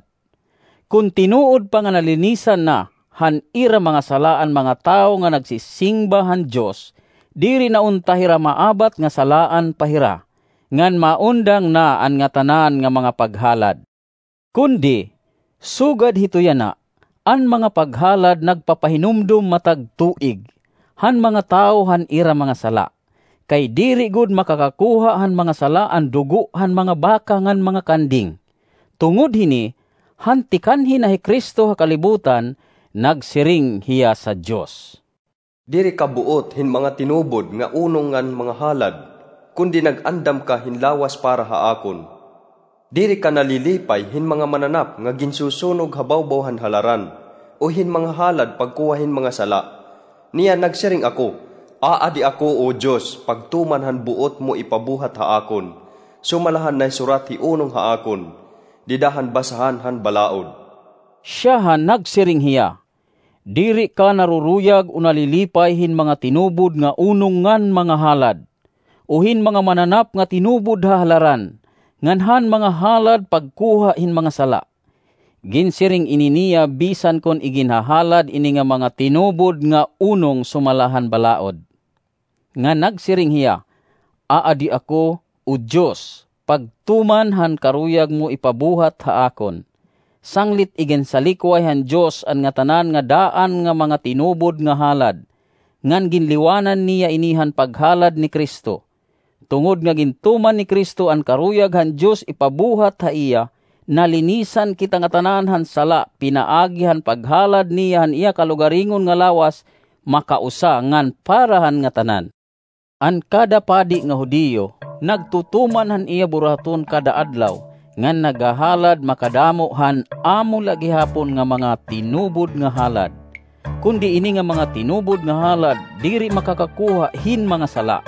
Kon tinuod pa nga nalinisan na han ira mga sala an mga tawo nga nagsisingba han Dios, diri na unta hira maabat nga salaan pa hira, ngan maundang na an ngatanan nga mga paghalad. Kundi, sugad hito yana, an mga paghalad nagpapahinumdom matag tuig han mga tawo han ira mga sala, kay diri gud makakakuha han mga sala an dugo han mga baka ngan mga kanding. Tungod hini, han tikanhi na hi Cristo ha kalibutan, nagsiring hiya sa Dios. Diri ka buot hin mga tinubod nga unong ngan mga halad, kundi nag-andam ka hin lawas para ha akon. Diri ka nalilipay hin mga mananap nga ginsusunog ha bawbaw han halaran, o hin mga halad pagkuha hin mga sala. Niya nagsiring ako, "Aadi ako, O Dios, pagtuman han buot mo ipabuhat ha akon, sumala han nahisurat hi unong ha akon, dida han basahan han balaod." Siyaha nagsiring hiya, "Diri ka naruruyag o nalilipay hin mga tinubod nga unong ngan mga halad, o hin mga mananap nga tinubod ha halaran, ngan han mga halad pagkuha hin mga sala." Ginsiring ini niya bisan kon iginhahalad ini nga mga tinubod nga unong sumala han balaod. Nga nagsiring hiya, "Aadi ako, O Dios, pagtuman han karuyag mo ipabuhat ha akon." Sanglit iginsalikway han Dios an ngatanan nga daan nga mga tinubod nga halad, ngan ginliwanan niya ini han paghalad ni Cristo. Tungod nga gintuman ni Cristo an karuyag han Dios ipabuhat ha iya, nalinisan kita ngatanan han sala pinaagi han paghalad niya han iya kalugaringon nga lawas, makausa ngan para han ngatanan. An kada padi nga Judio nagtutuman han iya buruhaton kada adlaw, ngan naghahalad makadamo han amo la gihapon nga mga tinubod nga halad. Kundi ini nga mga tinubod nga halad diri makakakuha hin mga sala.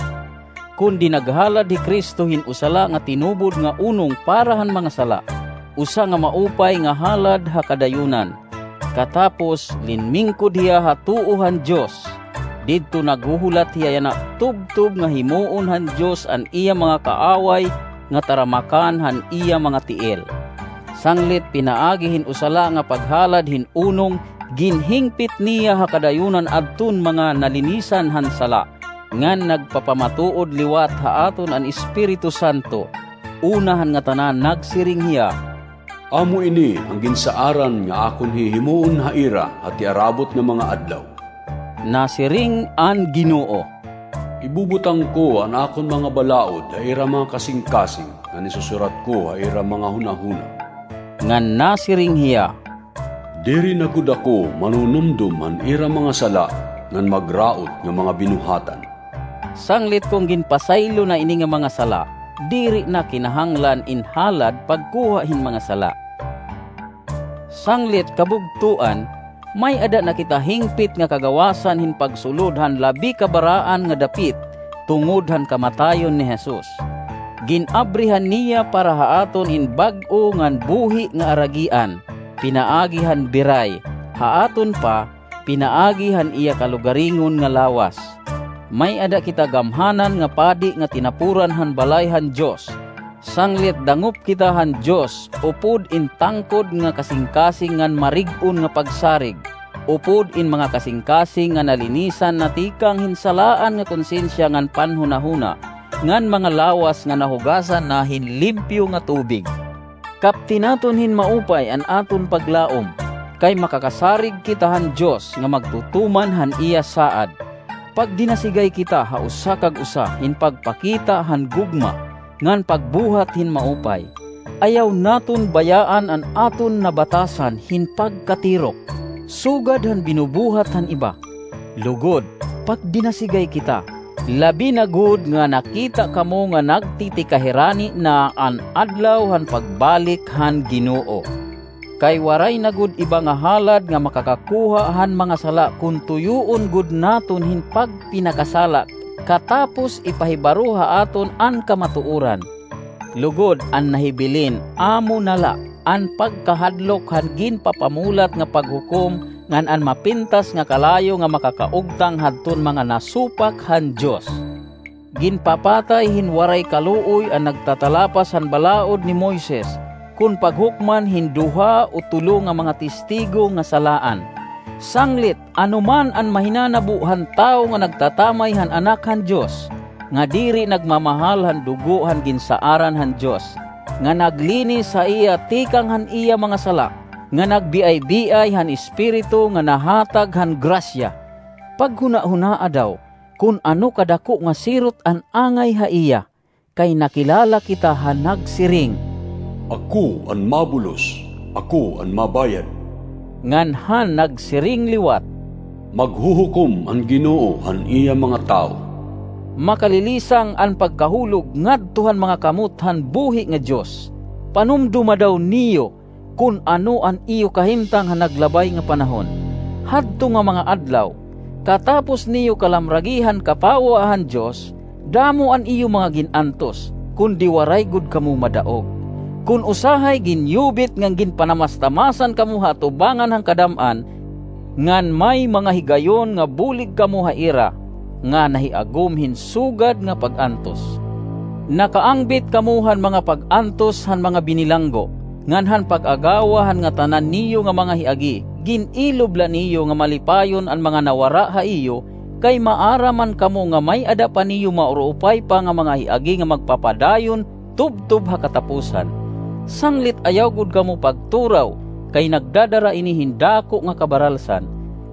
Kundi naghalad hi Cristo hin usa la nga tinubod nga unong para han mga sala, usa nga maupay nga halad ha kadayunan. Katapos, linmingkod hiya ha tuo han Dios. Didto naghuhulat hiya yana tubtob nga himuon han Dios an iya mga kaaway nga taramakan han iya mga tiil. Sanglit pinaagi hin usa la nga paghalad hin unong, Ginhingpit niya ha kadayunan adton mga nalinisan han sala, ngan nagpapamatuod liwat ha aton an Espiritu Santo. Una han ngatanan nagsiring hiya, "Amo ini an ginsaaran nga akon hihimuon ha ira ha tiarabot nga mga adlaw." Nasiring an Ginoo, "Ibubutang ko an akon mga balaod ha ira mga kasingkasing ngan isusurat ko ha ira mga hunahuna." Ngan nasiring hiya, "Diri na gud ako manunumdom han ira mga sala ngan magraot nga mga binuhatan." Sanglit kon ginpasaylo na ini nga mga sala, diri na kinahanglan in halad pagkuha hin mga sala. Sanglit kabugtoan, may-ada na kita hingpit nga kagawasan hin pagsulod han labi kabaraan nga dapit tungod han kamatayon ni Jesus. Gin-abrihan niya para ha aton in bag-o ngan buhi nga aragian, pinaagi han biray, ha aton pa, pinaagi han iya kalugaringon nga lawas. May-ada kita gamhanan nga padi nga tinapuran han balay han Dios. Sanglit dangop kita han Dios, upod in tangkod nga kasingkasing ngan marig-on nga pagsarig, upod in mga kasingkasing nga nalinisan na tikang hin salaan nga konsensiya ngan panhunahuna, ngan mga lawas nga nahugasan na hin limpyo nga tubig. Kapti naton hin maupay an aton paglaom, kay makakasarig kita han Dios nga magtutuman han iya saad. Pagdinasigay kita ha usa kag usa hin pagpakita han gugma ngan pagbuhat hin maupay. Ayaw naton bayaan an aton nabatasan hin pagkatirok, sugad han binubuhat han iba. Lugod, pagdinasigay kita, labi na gud nga nakita kamo nga nagtitikahirani na an adlaw han pagbalik han Ginoo. Kay waray na gud iba nga halad nga makakakuha han mga sala kon tuyoon gud naton hin pagpinakasala katapos ipahibaro ha aton an kamatuoran. Lugod, an nahibilin amo na la an pagkahadlok han ginpapamulat nga paghukom ngan an mapintas nga kalayo nga makakaugtang hadton mga nasupak han Dios. Ginpapatay hin waray kaluoy an nagtatalapas han balaod ni Moises kon paghukman hin duha o tulo nga mga testigo nga salaan. Sanglit, anoman an mahinanabo han tawo nga nagtatamay han Anak han Dios, nga diri nagmamahal han dugo han ginsaaran han Dios, nga naglinis ha iya tikang han iya mga sala, nga nagbiaybiay han Espiritu nga nahatag han grasya. Paghunahunaa daw kon ano kadako nga sirot an angay ha iya, kay nakilala kita han nagsiring, "Ako an mabulos, ako an mabayad." Ngan han nagsiring liwat, "Maghuhukom an Ginoo han iya mga tawo." Makalilisang an pagkahulog ngadto han mga kamot han buhi nga Dios. Panumdoma daw niyo kon ano an iyo kahimtang ha naglabay nga panahon. Hadto nga mga adlaw, katapos niyo kalamragi han kapawa han Dios, damo an iyo mga gin-antos, kundi waray gud kamo madaog. Kon usahay ginyubit ngan ginpanamas-tamasan kamo ha atubangan han kadam-an, ngan may mga higayon nga bulig kamo ha ira nga nahiagom hin sugad nga pag-antos. Nakaangbit kamo han mga pag-antos han mga binilanggo, ngan han pag-agawa han ngatanan niyo nga mga hiagi, gin-ilob la niyo nga malipayon an mga nawara ha iyo, kay maaram man kamo nga may-ada pa niyo mauruupay pa nga mga hiagi nga magpapadayon tubtob ha kataposan. Sanglit ayaw gud kamo pagturaw, kay nagdadara ini hin dako nga kabaralsan.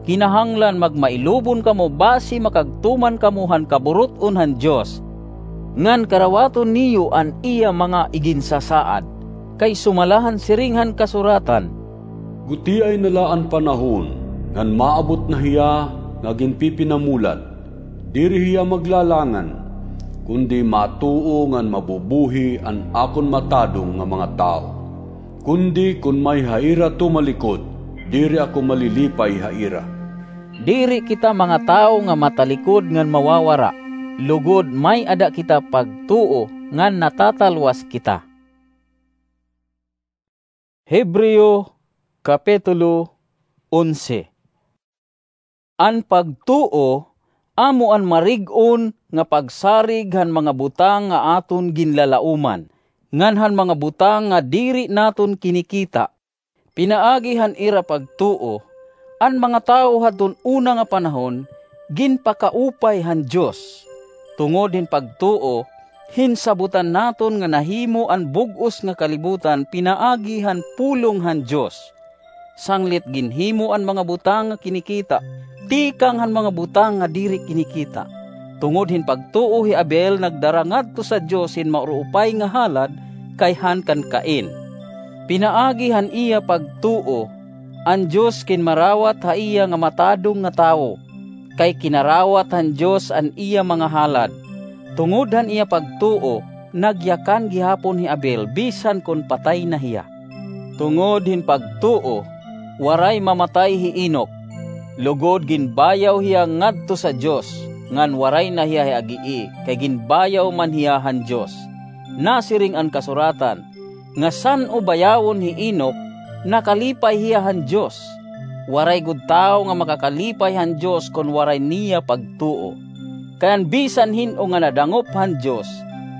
Kinahanglan magmailubon kamo basi makagtuman kamo han kaburut-on han Dios, ngan karawaton niyo an iya mga iginsasaad. Kay sumala han siring han kasuratan, "Gutiay na la an panahon, ngan maabot na hiya nga ginpipinamulat. Diri hiya maglalangan, kundi matuo ngan mabubuhi an akon matadong nga mga tawo. Kundi kon may ha ira tumalikod, diri ako malilipay ha ira." Diri kita mga tawo nga matalikod ngan mawawara, lugod may-ada kita pagtuo ngan natatalwas kita. Hebreo, Kapitulo onse. An pagtuo amo an marig-on nga pagsarig han mga butang nga aton ginlalaoman, ngan han mga butang nga diri naton kinikita. Pinaagi han ira pagtuo, An mga tawo hadton una nga panahon ginpakaupay han Dios. Tungod hin pagtuo, hinsabotan naton nga nahimo an bug-os nga kalibutan pinaagi han pulong han Dios. Sanglit ginhimo an mga butang nga kinikita tikang han mga butang nga diri kinikita. Tungod hin pagtuo, hi Abel nagdara ngadto sa Dios hin mauruupay nga halad kay han kan Cain. Pinaagi han iya pagtuo, an Dios kinmarawat ha iya nga matadong nga tawo, kay kinarawat han Dios an iya mga halad. Tungod han iya pagtuo, nagyakan gihapon hi Abel bisan kon patay na hiya. Tungod hin pagtuo, waray mamatay hi Enoc, lugod ginbayaw hiya ngadto sa Dios, ngan waray na hiya hi agii, kay ginbayaw man hiya han Dios. Nasiring an kasuratan, nga san-o bayawon hi Enoc, nakalipay hiya han Dios. Waray gud tawo nga makakalipay han Dios kon waray niya pagtuo. Kay an bisan hin-o nga nadangop han Dios,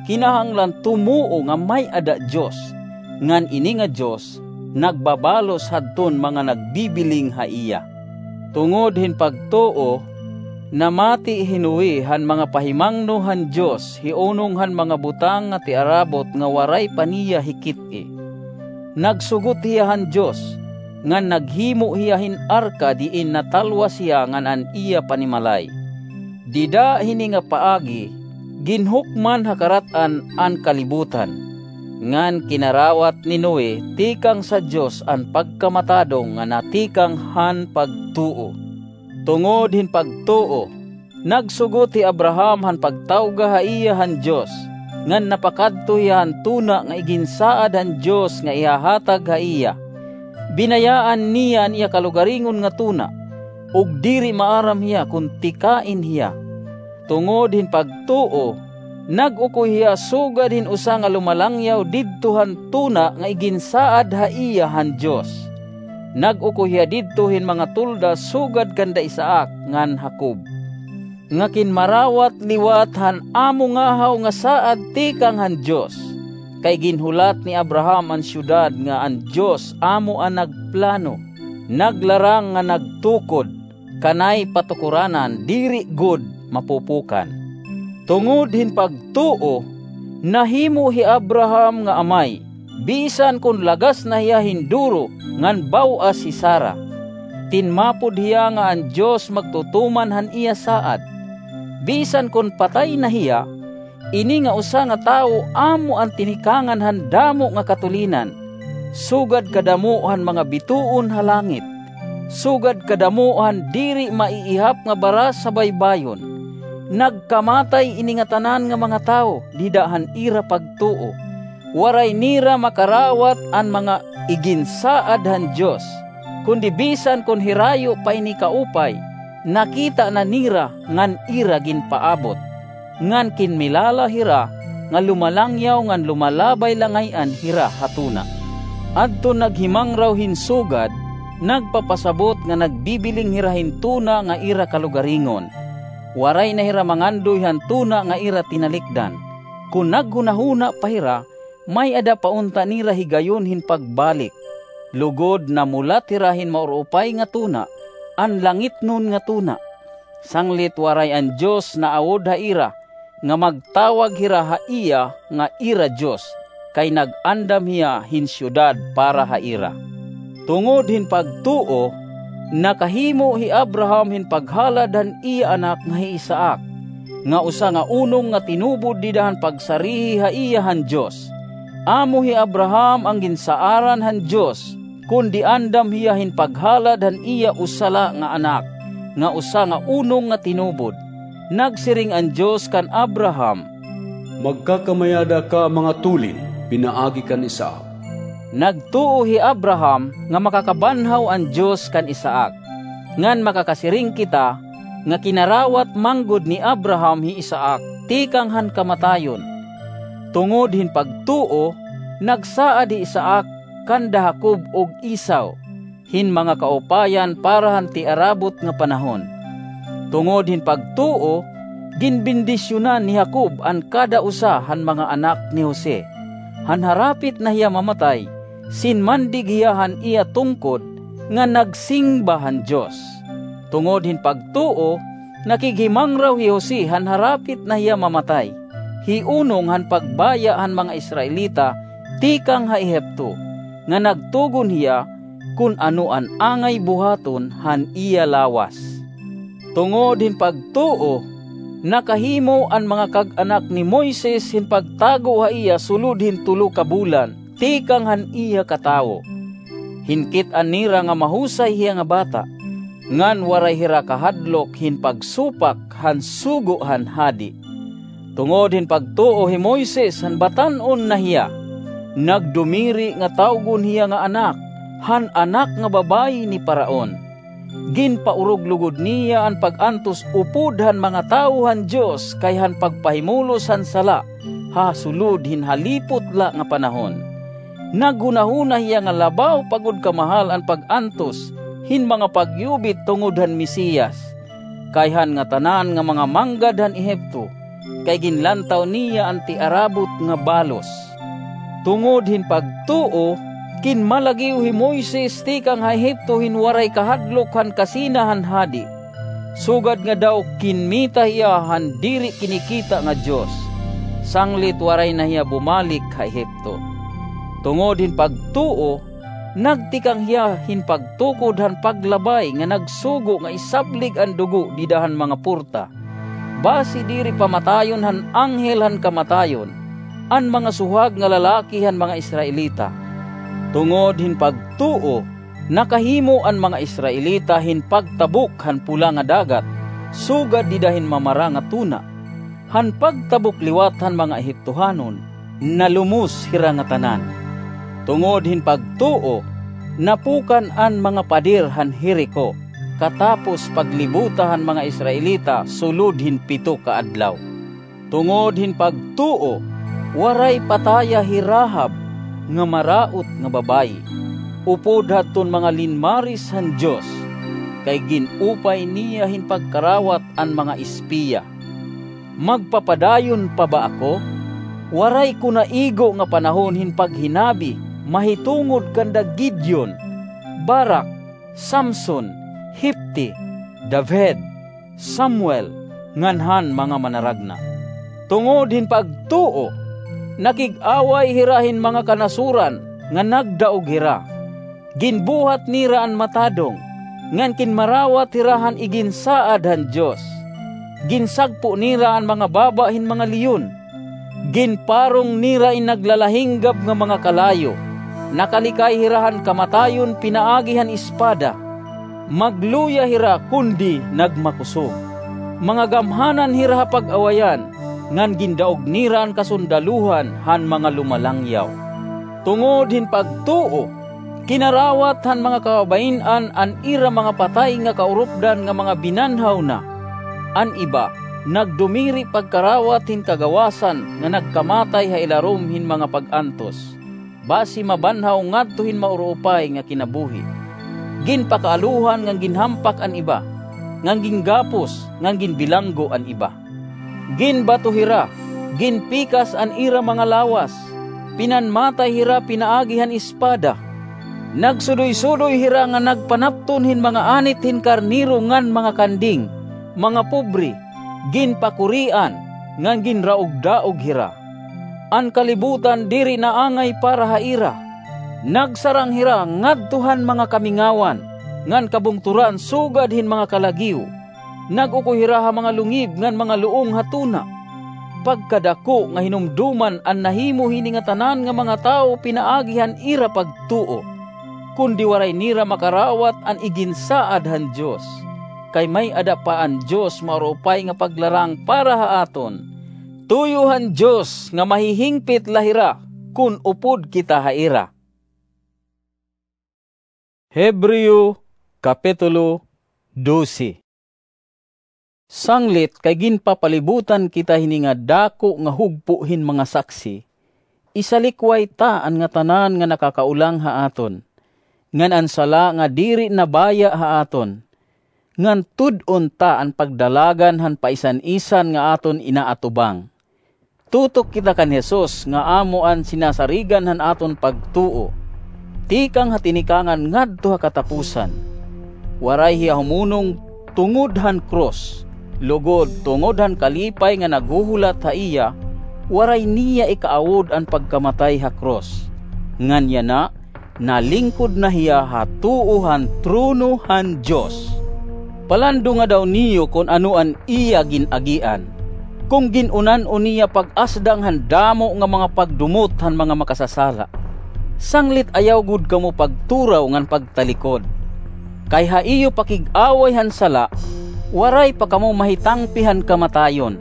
kinahanglan tumuo nga may-ada Dios, ngan ini nga Dios nagbabalos hadton mga nagbibiling ha iya. Tungod hin pagtuo, namati hi Noe han mga pahimangno han Dios hiunong han mga butang nga tiarabot nga waray pa niya hikit-i. Nagsugot hiya han Dios, ngan naghimo hiya hin arka diin natalwas hiya ngan an iya panimalay. Dida hini nga paagi, ginhukman ha karat-an an kalibutan, ngan kinarawat ni Noe tikang sa Dios an pagkamatadong nga natikang han pagtuo. Tungod hin pagtuo, nagsugot hi Abraham han pagtawga ha iya han Dios, ngan napakadto hiya han tuna nga iginsaad han Dios nga ihahatag ha iya. Binayaan niya an iya kalugaringon nga tuna, ug diri maaram hiya kon tikain hiya. Tungod hin pagtuo, nag-ukoy hiya sugad hin usa nga lumalangyaw didto han tuna nga iginsaad ha iya han Dios. Nag-ukoy hiya didto hin mga tolda sugad kanda Isaac ngan Jacob, nga kinmarawat liwat han amo ngahaw nga saad tikang han Dios. Kay ginhulat ni Abraham an syudad nga an Dios amo an nagplano, naglarang nga nagtukod, kanay patukoranan diri gud mapupukan. Tungod hin pagtuo, nahimo hi Abraham nga amay, bisan kon lagas na hiya hin duro ngan baw-as hi Sara. Tinmapod hiya nga an Dios magtutuman han iya saad. Bisan kon patay na hiya, ini nga usa nga tawo amo an tinikangan han damo nga katulinan, sugad kadamo han mga bituon ha langit, sugad kadamo han diri maiihap nga baras ha baybayon. Nagkamatay ini ngatanan nga mga tawo dida han ira pagtuo. Waray nira makarawat an mga iginsaad han Dios, kundi bisan kon hirayo pa ini kaupay, nakita na nira ngan ira ginpaabot. Ngan kinmilala hira nga lumalangyaw ngan lumalabay la ngay-an hira ha tuna. Adton naghimangraw hin sugad, nagpapasabot nga nagbibiling hira hin tuna nga ira kalugaringon. Waray na hira mangandoy han tuna nga ira tinalikdan. Kon naghunahuna pa hira, may-ada pa unta nira higayon hin pagbalik. Lugod namulat hira hin mauruupay nga tuna, an langitnon nga tuna. Sanglit waray an Dios naawod ha ira, nga magtawag hira ha iya nga ira Dios, kay nag-andam hiya hin syudad para ha ira. Tungod hin pagtuo, nakahimo hi Abraham hin paghalad han iya anak nga hi Isaac, nga usa nga unong nga tinubod dida han pagsarihi ha iya han Dios. Amo hi Abraham an ginsaaran han Dios, kundi andam hiya hin paghalad han iya usa la nga anak, nga usa nga unong nga tinubod. Nagsiring an Dios kan Abraham, "Magkakamayada ka mga tulin pinaagi kan Isaac." Nagtuo hi Abraham nga makakabanhaw an Dios kan Isaac. Ngan makakasiring kita nga kinarawat man gud ni Abraham hi Isaac tikang han kamatayon. Tungod hin pagtuo, nagsaad hi Isaac kanda Jacob ug Esau hin mga kaupayan para han tiarabot nga panahon. Tungod hin pagtuo, ginbendisyonan ni Jacob an kada usa han mga anak ni Jose. Han harapit na hiya mamatay, sinmandig hiya han iya tungkod, nga nagsingba han Dios. Tungod hin pagtuo, nakighimangraw hi Jose han harapit na hiya mamatay, hiunong han pagbaya han mga Israelita tikang ha Ehipto, nga nagtugon hiya kon ano an angay buhaton han iya lawas. Tungod hin pagtuo, nakahimo an mga kag-anak ni Moises hin pagtago ha iya sulod hin tulo ka bulan tikang han iya katawo. Hinkit-an nira nga mahusay hiya nga bata, ngan waray hira kahadlok hin pagsupak han sugo han hadi. Tungod hin pagtuo hi Moises han batan-on na hiya, nagdumiri nga tawgon hiya nga anak han anak nga babayi ni Faraon. Ginpaurog lugod niya an pag-antos upod han mga tawo han Dios kay han pagpahimulos han sala ha sulod hin halipot la nga panahon. Naghunahuna hiya nga labaw pa gud kamahal an pag-antos hin mga pagyubit tungod han Mesiyas, kay han ngatanan nga mga manggad han Ehipto, kay ginlantaw niya an tiarabot nga balos. Tungod hin pagtuo, kinmalagiw hi Moises tikang ha Ehipto hin waray kahadlok han kasina han hadi, sugad nga daw kinmita hiya han diri kinikita nga Dios, sanglit waray na hiya bumalik ha Ehipto. Tungod hin pagtuo, nagtikang hiya hin pagtukod han paglabay nga nagsugo nga isablig an dugo dida han mga porta, basi diri pamatayon han anghel han kamatayon an mga suhag nga lalaki han mga Israelita. Tungod hin pagtuo, nakahimo an mga Israelita hin pagtabok han Pula nga Dagat, sugad dida hin Mamara nga Tuna. Han pagtabok liwat han mga Ehiptohanon, nalumos hira ngatanan. Tungod hin pagtuo, napukan an mga pader han Jerico, katapos paglibota han mga Israelita sulod hin pito ka adlaw. Tungod hin pagtuo, waray pataya hi Rahab nga maraot nga babayi, upod hadton mga linmaris han Dios, kay gin-upay niya hin pagkarawat an mga espiya. Magpapadayon pa ba ako? Waray ko naigo nga panahon hin paghinabi mahitungod kanda Gideon, Barak, Samson, Jefte, David, Samuel, ngan han mga manaragna. Tungod hin pagtuo, nakig-away hira hin mga kanasoran nga nagdaog hira. Ginbuhat nira an matadong, ngan kinmarawat hira han iginsaad han Dios. Ginsagpo nira an mga baba hin mga leon. Ginparong nira in naglalahinggab nga mga kalayo. Nakalikay hira han kamatayon pinaagi han espada. Magluya hira kundi nagmakusog. Mga gamhanan hira ha pag-awayan, ngan gindaog nira an kasundalohan han mga lumalangyaw. Tungod hin pagtuo, kinarawat han mga kababayin-an an ira mga patay nga kaurupdan nga mga binanhaw na. An iba, nagdumiri pagkarawat hin kagawasan nga nagkamatay ha ilarom hin mga pag-antos, basi mabanhaw ngadto hin mauruupay nga kinabuhi. Ginpakaalohan ngan ginhampak an iba, ngan gingapos ngan ginbilanggo an iba. Ginbato hira, ginpikas an ira mga lawas, pinanmatay hira pinaagi han espada. Nagsudoy-sudoy hira nga nagpanapton hin mga anit hin karnero ngan mga kanding, mga pobre, ginpakurian, ngan ginraog-daog hira. An kalibutan diri naangay para ha ira. Nagsarang hira ngadto han mga kamingawan ngan kabungtoran sugad hin mga kalagiw. Nag-ukoy hira ha mga lungib ngan mga luong ha tuna. Pagkadako nga hinumdoman an nahimo hini ngatanan nga mga tawo pinaagi han ira pagtuo, kundi waray nira makarawat an iginsaad han Dios. Kay may-ada pa an Dios mauruupay nga paglarang para ha aton. Tuyo han Dios nga mahihingpit la hira kon upod kita ha ira. Hebreo, Kapitulo dose. Sanglit kay ginpapalibutan kita hini nga dako nga hugpo hin mga saksi, isalikway ta an ngatanan nga nakakaulang ha aton, ngan an sala nga diri nabaya ha aton, ngan tud-on ta an pagdalagan han paisan-isan nga aton inaatubang. Tutok kita kan Jesus nga amo an sinasarigan han aton pagtuo. tikang ha tinikangan ngadto ha katapusan. Waray hiya humunong tungod han krus, lugod tungod han kalipay nga naghuhulat ha iya, waray niya ikaawod an pagkamatay ha krus. Ngan yana, nalingkod na hiya ha tuo han trono han Dios. Palandonga daw niyo kon ano an iya gin-agian, kon gin-unan-on niya pag-asdang han damo nga mga pagdumot han mga makasasala. Sanglit ayaw gud kamo pagturaw ngan pagtalikod. Kay ha iyo pakig-away han sala, waray pa kamo mahitangpi han kamatayon.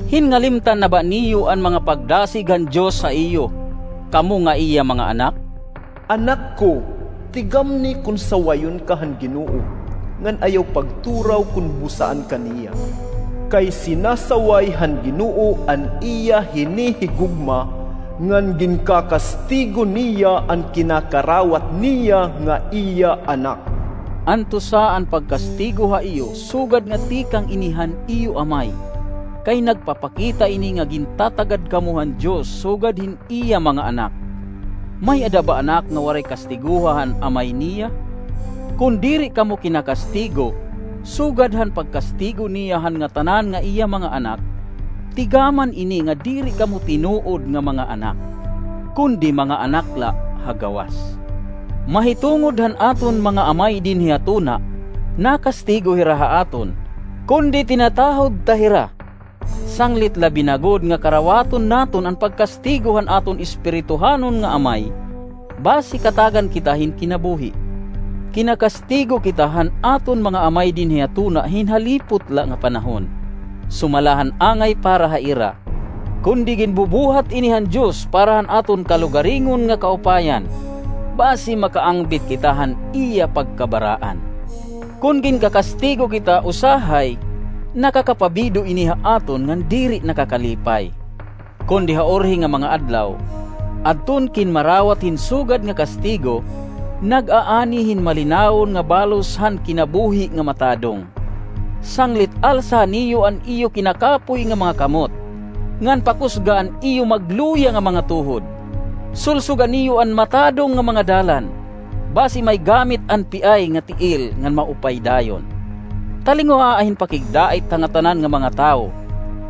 Hinngalimtan na ba niyo an mga pagdasig han Dios ha iyo, kamo nga iya mga anak? Anak ko, tigamni kon sawayon ka han Ginoo, ngan ayaw pagturaw kon busaan ka niya. Kay sinasaway han Ginoo an iya hinihigugma, ngan ginkakastigo niya an kinakarawat niya nga iya anak. Antusa an pagkastigo ha iyo sugad nga tikang ini han iyo amay, kay nagpapakita ini nga gintatagad kamo han Dios sugad hin iya mga anak. May-ada ba anak nga waray kastigoha han amay niya? Kon diri kamo kinakastigo sugad han pagkastigo niya han ngatanan nga iya mga anak, tigaman ini nga diri kamo tinuod nga mga anak, kundi mga anak la ha gawas. Mahitungod han aton mga amay dinhi ha tuna, nakastigo hira ha aton, kundi tinatahod ta hira. Sanglit labi na gud nga karawaton naton an pagkastigo han aton espirituhanon nga amay, basi katagan kita hin kinabuhi. Kinakastigo kita han aton mga amay dinhi ha tuna hin halipot la nga panahon, sumala han angay para ha ira. Kundi ginbubuhat ini han Dios para han aton kalugaringon nga kaupayan, basi makaangbit kita han iya pagkabaraan. Kon ginkakastigo kita usahay, nakakapabido ini ha aton ngan diri nakakalipay. Kundi ha urhi nga mga adlaw, adton kinmarawat hin sugad nga kastigo, nag-aani hin malinawon nga balos han kinabuhi nga matadong. Sanglit alsa niyo an iyo kinakapoy nga mga kamot, ngan pakusga an iyo magluya nga mga tuhod. Sulsoga niyo an matadong nga mga dalan, basi may gamit an piay nga tiil ngan maupay dayon. Talinguhaa hin pakigdait ha ngatanan nga mga tawo,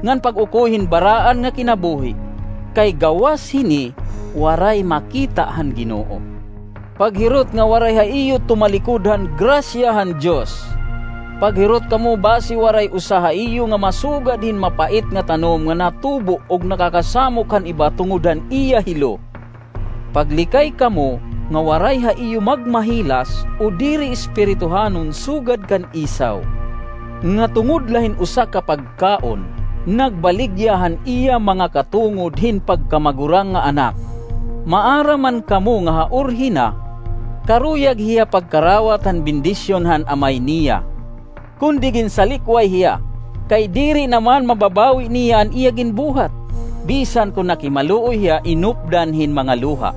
ngan pag-ukoy hin baraan nga kinabuhi, kay gawas hini waray makita han Ginoo. Paghirot nga waray ha iyo tumalikod han grasya han Dios. Paghirot kamo basi waray usa ha iyo nga masugad hin mapait nga tanom nga natubo ug nakakasamok han iba tungod han iya hilo. Paglikay kamo nga waray ha iyo magmahilas o diri espirituhanon sugad kan Esau, nga tungod la hin usa ka pagkaon, nagbaligya han iya mga katungod hin pagkamagurang nga anak. Maaram man kamo nga ha urhi na, karuyag hiya pagkarawat han bendisyon han amay niya. Kundi ginsalikway hiya, kay diri na man mababawi niya an iya ginbuhat, bisan kon nakimaluoy hiya inupdan hin mga luha.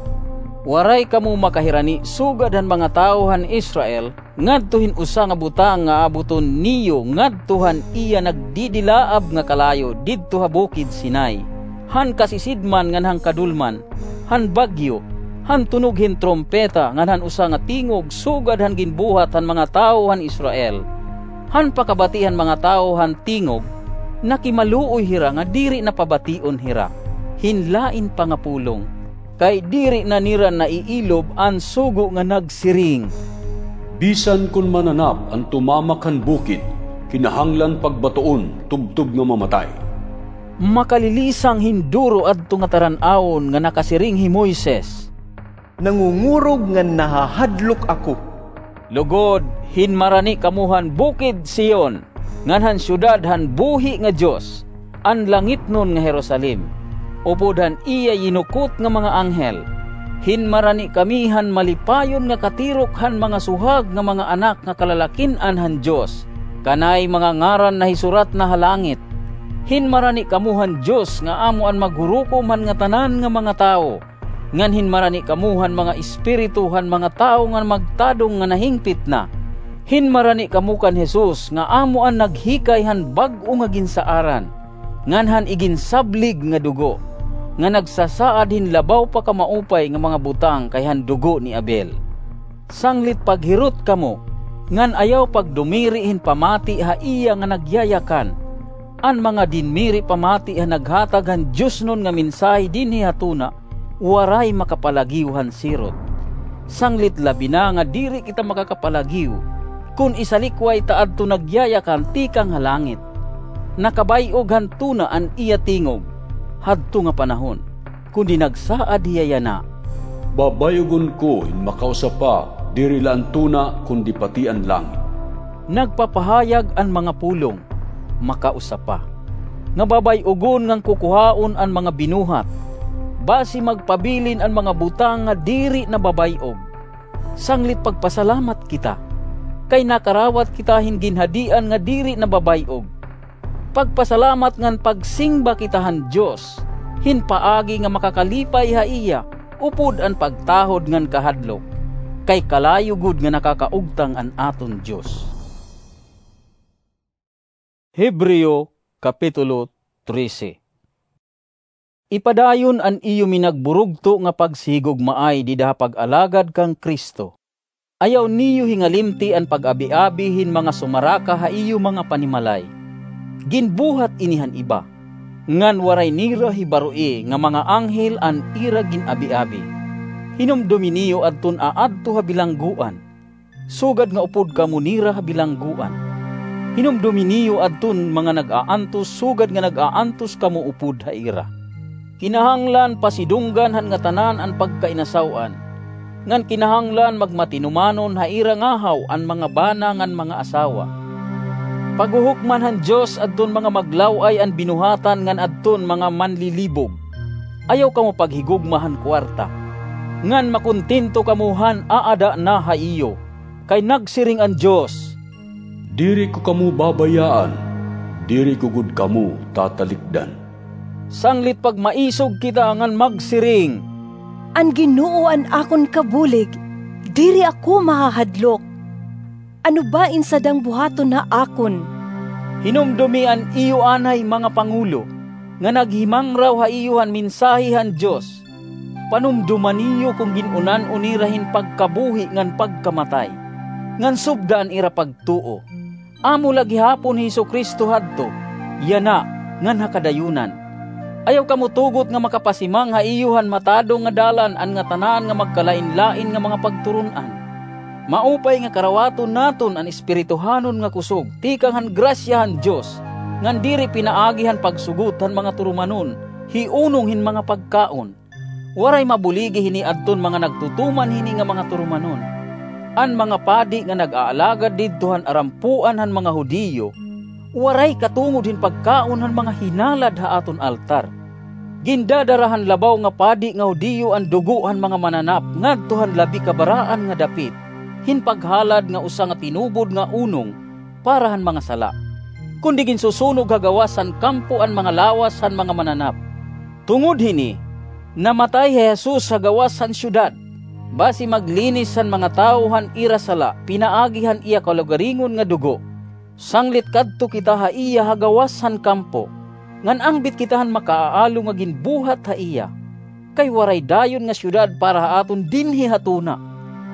Waray kamo makahirani sugad han mga tawo han Israel, ngadto hin usa nga butang nga abuton niyo ngadto han iya nagdidilaab nga kalayo didto ha bukid Sinai, han kasisidman ngan han kadulman, han bagyo, han tunog hin trumpeta ngan han usa nga tingog sugad han ginbuhat han mga tawo han Israel. Han pakabati han mga tawo han tingog, nakimaluoy hira nga diri na pabation hira hin lain pa nga pulong, kay diri na nira naiilob an sugo nga nagsiring, "Bisan kon mananap an tumamak han bukid, kinahanglan pagbatoon tubtob nga mamatay." Makalilisang hin duro adto nga taran-awon nga nakasiring hi Moises, "Nangungurog ngan nahahadlok ako." Lugod, hinmarani kamo han bukid Sion, ngan han syudad han buhi nga Dios, an langitnon nga Jerusalem, upod han iya yinukot nga mga anghel. Hinmarani kami han malipayon nga katirok han mga suhag nga mga anak nga kalalakin-an han Dios, kanay mga ngaran nahisurat na ha langit. Hinmarani kamo han Dios nga amo an maghurukom han ngatanan nga mga tawo, ngan hinmarani kamo han mga espiritu han mga tawo nga magtadong nga nahingpit na. Hinmarani kamo kan Jesus nga amo an naghikay han bag-o nga ginsaaran, ngan han iginsablig nga dugo. nga nagsasaad hin labaw pa ka maupay nga mga butang kay han dugo ni Abel. Sanglit paghirot kamo, ngan ayaw pagdumiri hin pamati ha iya nga nagyayakan. An mga dinmiri pamati ha naghatag han diosnon nga mensahe dinhi ha tuna, waray makapalagiw han sirot. Sanglit labi na nga diri kita makakapalagiw, kon isalikway ta adto nagyayakan tikang ha langit. Nakabay-og han tuna an iya tingog, hadto nga panahon, kundi nagsaad hiya yana, "Babay-ogon ko hin makausa pa, diri la an tuna, kundi pati an langit." Nagpapahayag an mga pulong, makausa pa, nga babay-ogon ngan kukuhaon an mga binuhat, basi magpabilin an mga butang nga diri na babay-og. Sanglit pagpasalamat kita, kay nakarawat kita hin ginhadian nga diri na babay-og. Pagpasalamat ngan pagsingba kita han Dios, hin paagi nga makakalipay ha iya, upod an pagtahod ngan kahadlok, kay kalayo gud nga nakakaugtang an aton Dios. Hebreo, Kapitulo trese. Ipadayon an iyo minagburugto nga pagsihigugmaay dida ha pag-alagad kan Cristo. Ayaw niyo hingalimti an pag-abi-abi hin mga sumaraka ha iyo mga panimalay. Ginbuhat ini han iba, ngan waray nira hibaroi nga mga anghel an ira gin-abi-abi. Hinumdomi niyo adton aadto ha bilanggoan, sugad nga upod kamo nira ha bilanggoan. Hinumdomi niyo adton mga nag-aantos, sugad nga nag-aantos kamo upod ha ira. Kinahanglan pasidunggan han ngatanan an pagkainasaw-an, ngan kinahanglan magmatinumanon ha ira ngahaw an mga bana ngan mga asawa. Paghuhukman han Dios adton mga maglaw-ay an binuhatan ngan adton mga manlilibog. Ayaw kamo paghigugma han kuwarta, ngan makontento kamo han aada na ha iyo. Kay nagsiring an Dios, "Diri ko kamo babayaan, diri ko gud kamo tatalikdan." Sanglit pagmaisog kita ngan magsiring, "An Ginoo an akon kabulig, diri ako mahahadlok. Ano ba in sadang buhaton ha akon?" Hinumdomi an iyo anay mga pangulo, nga naghimangraw ha iyo han mensahe han Dios. Panumdoma niyo kon gin-unan-o nira hin pagkabuhi ngan pagkamatay, ngan subda an ira pagtuo. Amo la gihapon hi Jesu-Cristo hadto, yana, ngan ha kadayunan. Ayaw kamo tugot nga makapasimang ha iyo han matadong nga dalan an ngatanan nga magkalain-lain nga mga pagturon-an. Maupay nga karawaton naton an espirituhanon nga kusog tikang han grasya han Dios, ngan diri pinaagi han pagsugot han mga turumanon hi unong hin mga pagkaon. Waray mabuligi hini adton mga nagtutuman hini nga mga turumanon. An mga padi nga nag-aalagad didto han arampuan han mga Judio, waray katungod hin pagkaon han mga hinalad ha aton altar. Gindadara han labaw nga padi nga Judio an dugo han mga mananap ngadto han labi kabaraan nga dapit, hin paghalad nga usa nga tinubod nga unong para han mga sala, kundi ginsusunog ha gawas han kampo an mga lawas han mga mananap. Tungod hini, namatay hi Jesus ha gawas han syudad, basi maglinis han mga tawo han ira sala pinaagi han iya kalugaringon nga dugo. Sanglit kadto kita ha iya ha gawas han kampo, ngan angbit kita han makaaalo nga ginbuhat ha iya. Kay waray dayon nga syudad para ha aton dinhi ha tuna.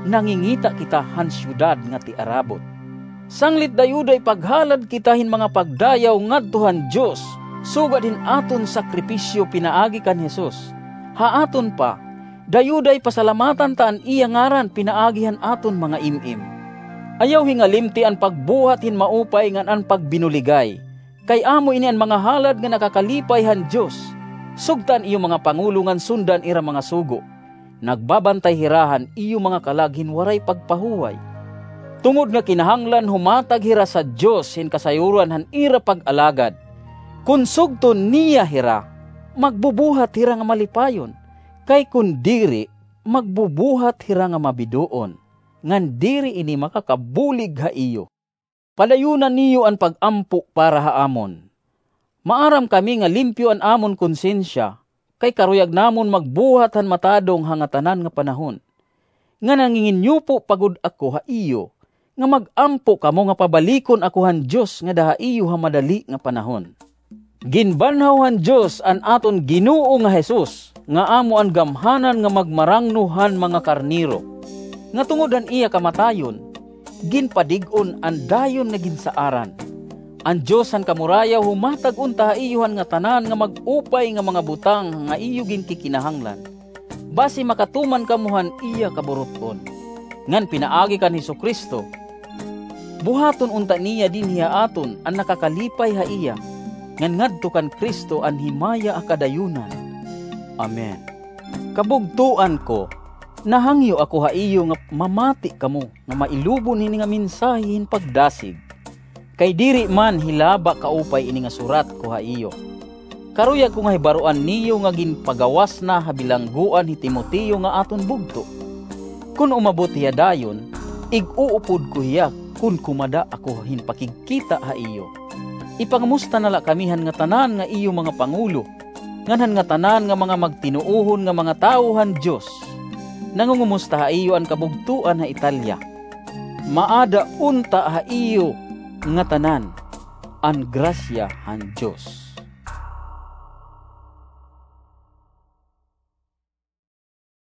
Nangingita kita han syudad nga tiarabot. Sanglit dayuday paghalad kita hin mga pagdayaw ngadto han Dios, sugad hin aton sakripisyo pinaagi kan Jesus. Ha aton pa, dayuday pasalamatan ta an iya ngaran pinaagi han aton mga im-im. Ayaw hingalimti an pagbuhat hin maupay ngan an pagbinuligay, kay amo ini an mga halad nga nakakalipay han Dios. Sugta an iyo mga pangulo ngan sunda an ira mga sugo. Nagbabantay hira han iyo mga kalag hin waray pagpahuway. Tungod nga kinahanglan humatag hira sa Dios hin kasayuran han ira pag-alagad. Kon sugton niya hira, magbubuhat hira nga malipayon, kay kon diri, magbubuhat hira nga mabidoon, ngan diri ini makakabulig ha iyo. Padayuna niyo an pag-ampo para ha amon. Maaram kami nga limpyo an amon konsyensya, kay karuyag namon magbuhat han matadong ha ngatanan nga panahon. Nga nanginginyupo pa gud ako ha iyo, nga mag-ampo kamo nga pabalikon ako han Dios ngada ha iyo ha madali nga panahon. Ginbanhaw han Dios an aton Ginoo nga Jesus, nga amo an gamhanan nga magmarangno han mga karnero, nga tungod han iya kamatayon, ginpadig-on an dayon nga ginsaaran. An Dios han kamurayaw humatag unta ha iyo han ngatanan nga mag-upay nga mga butang nga iyo ginkikinahanglan, basi makatuman kamo han iya kaburut-on. Ngan pinaagi kan Jesu-Cristo, buhaton unta niya dinhi ha aton an nakakalipay ha iya, ngan ngadto kan Cristo an himaya ha kadayonan. Amen. Kabugtoan ko, nahangyo ako ha iyo nga mamati kamo nga mailubon hini nga mensahe hin pagdasig. Kay diri man hilaba kaupay ini nga surat ko ha iyo. Karuyag ko nga hibaroan niyo nga ginpagawas na ha bilanggoan hi Timoteo nga aton bugto. Kon umabot hiya dayon, ig-uupod ko hiya kon kumada ako hin pakigkita ha iyo. Ipangamusta na la kami han ngatanan nga iyo mga pangulo, ngan han ngatanan nga mga magtinuohon nga mga tawo han Dios. Nangungumusta ha iyo an kabugtoan ha Italia. Maada unta ha iyo ngatanan an grasya han Dios.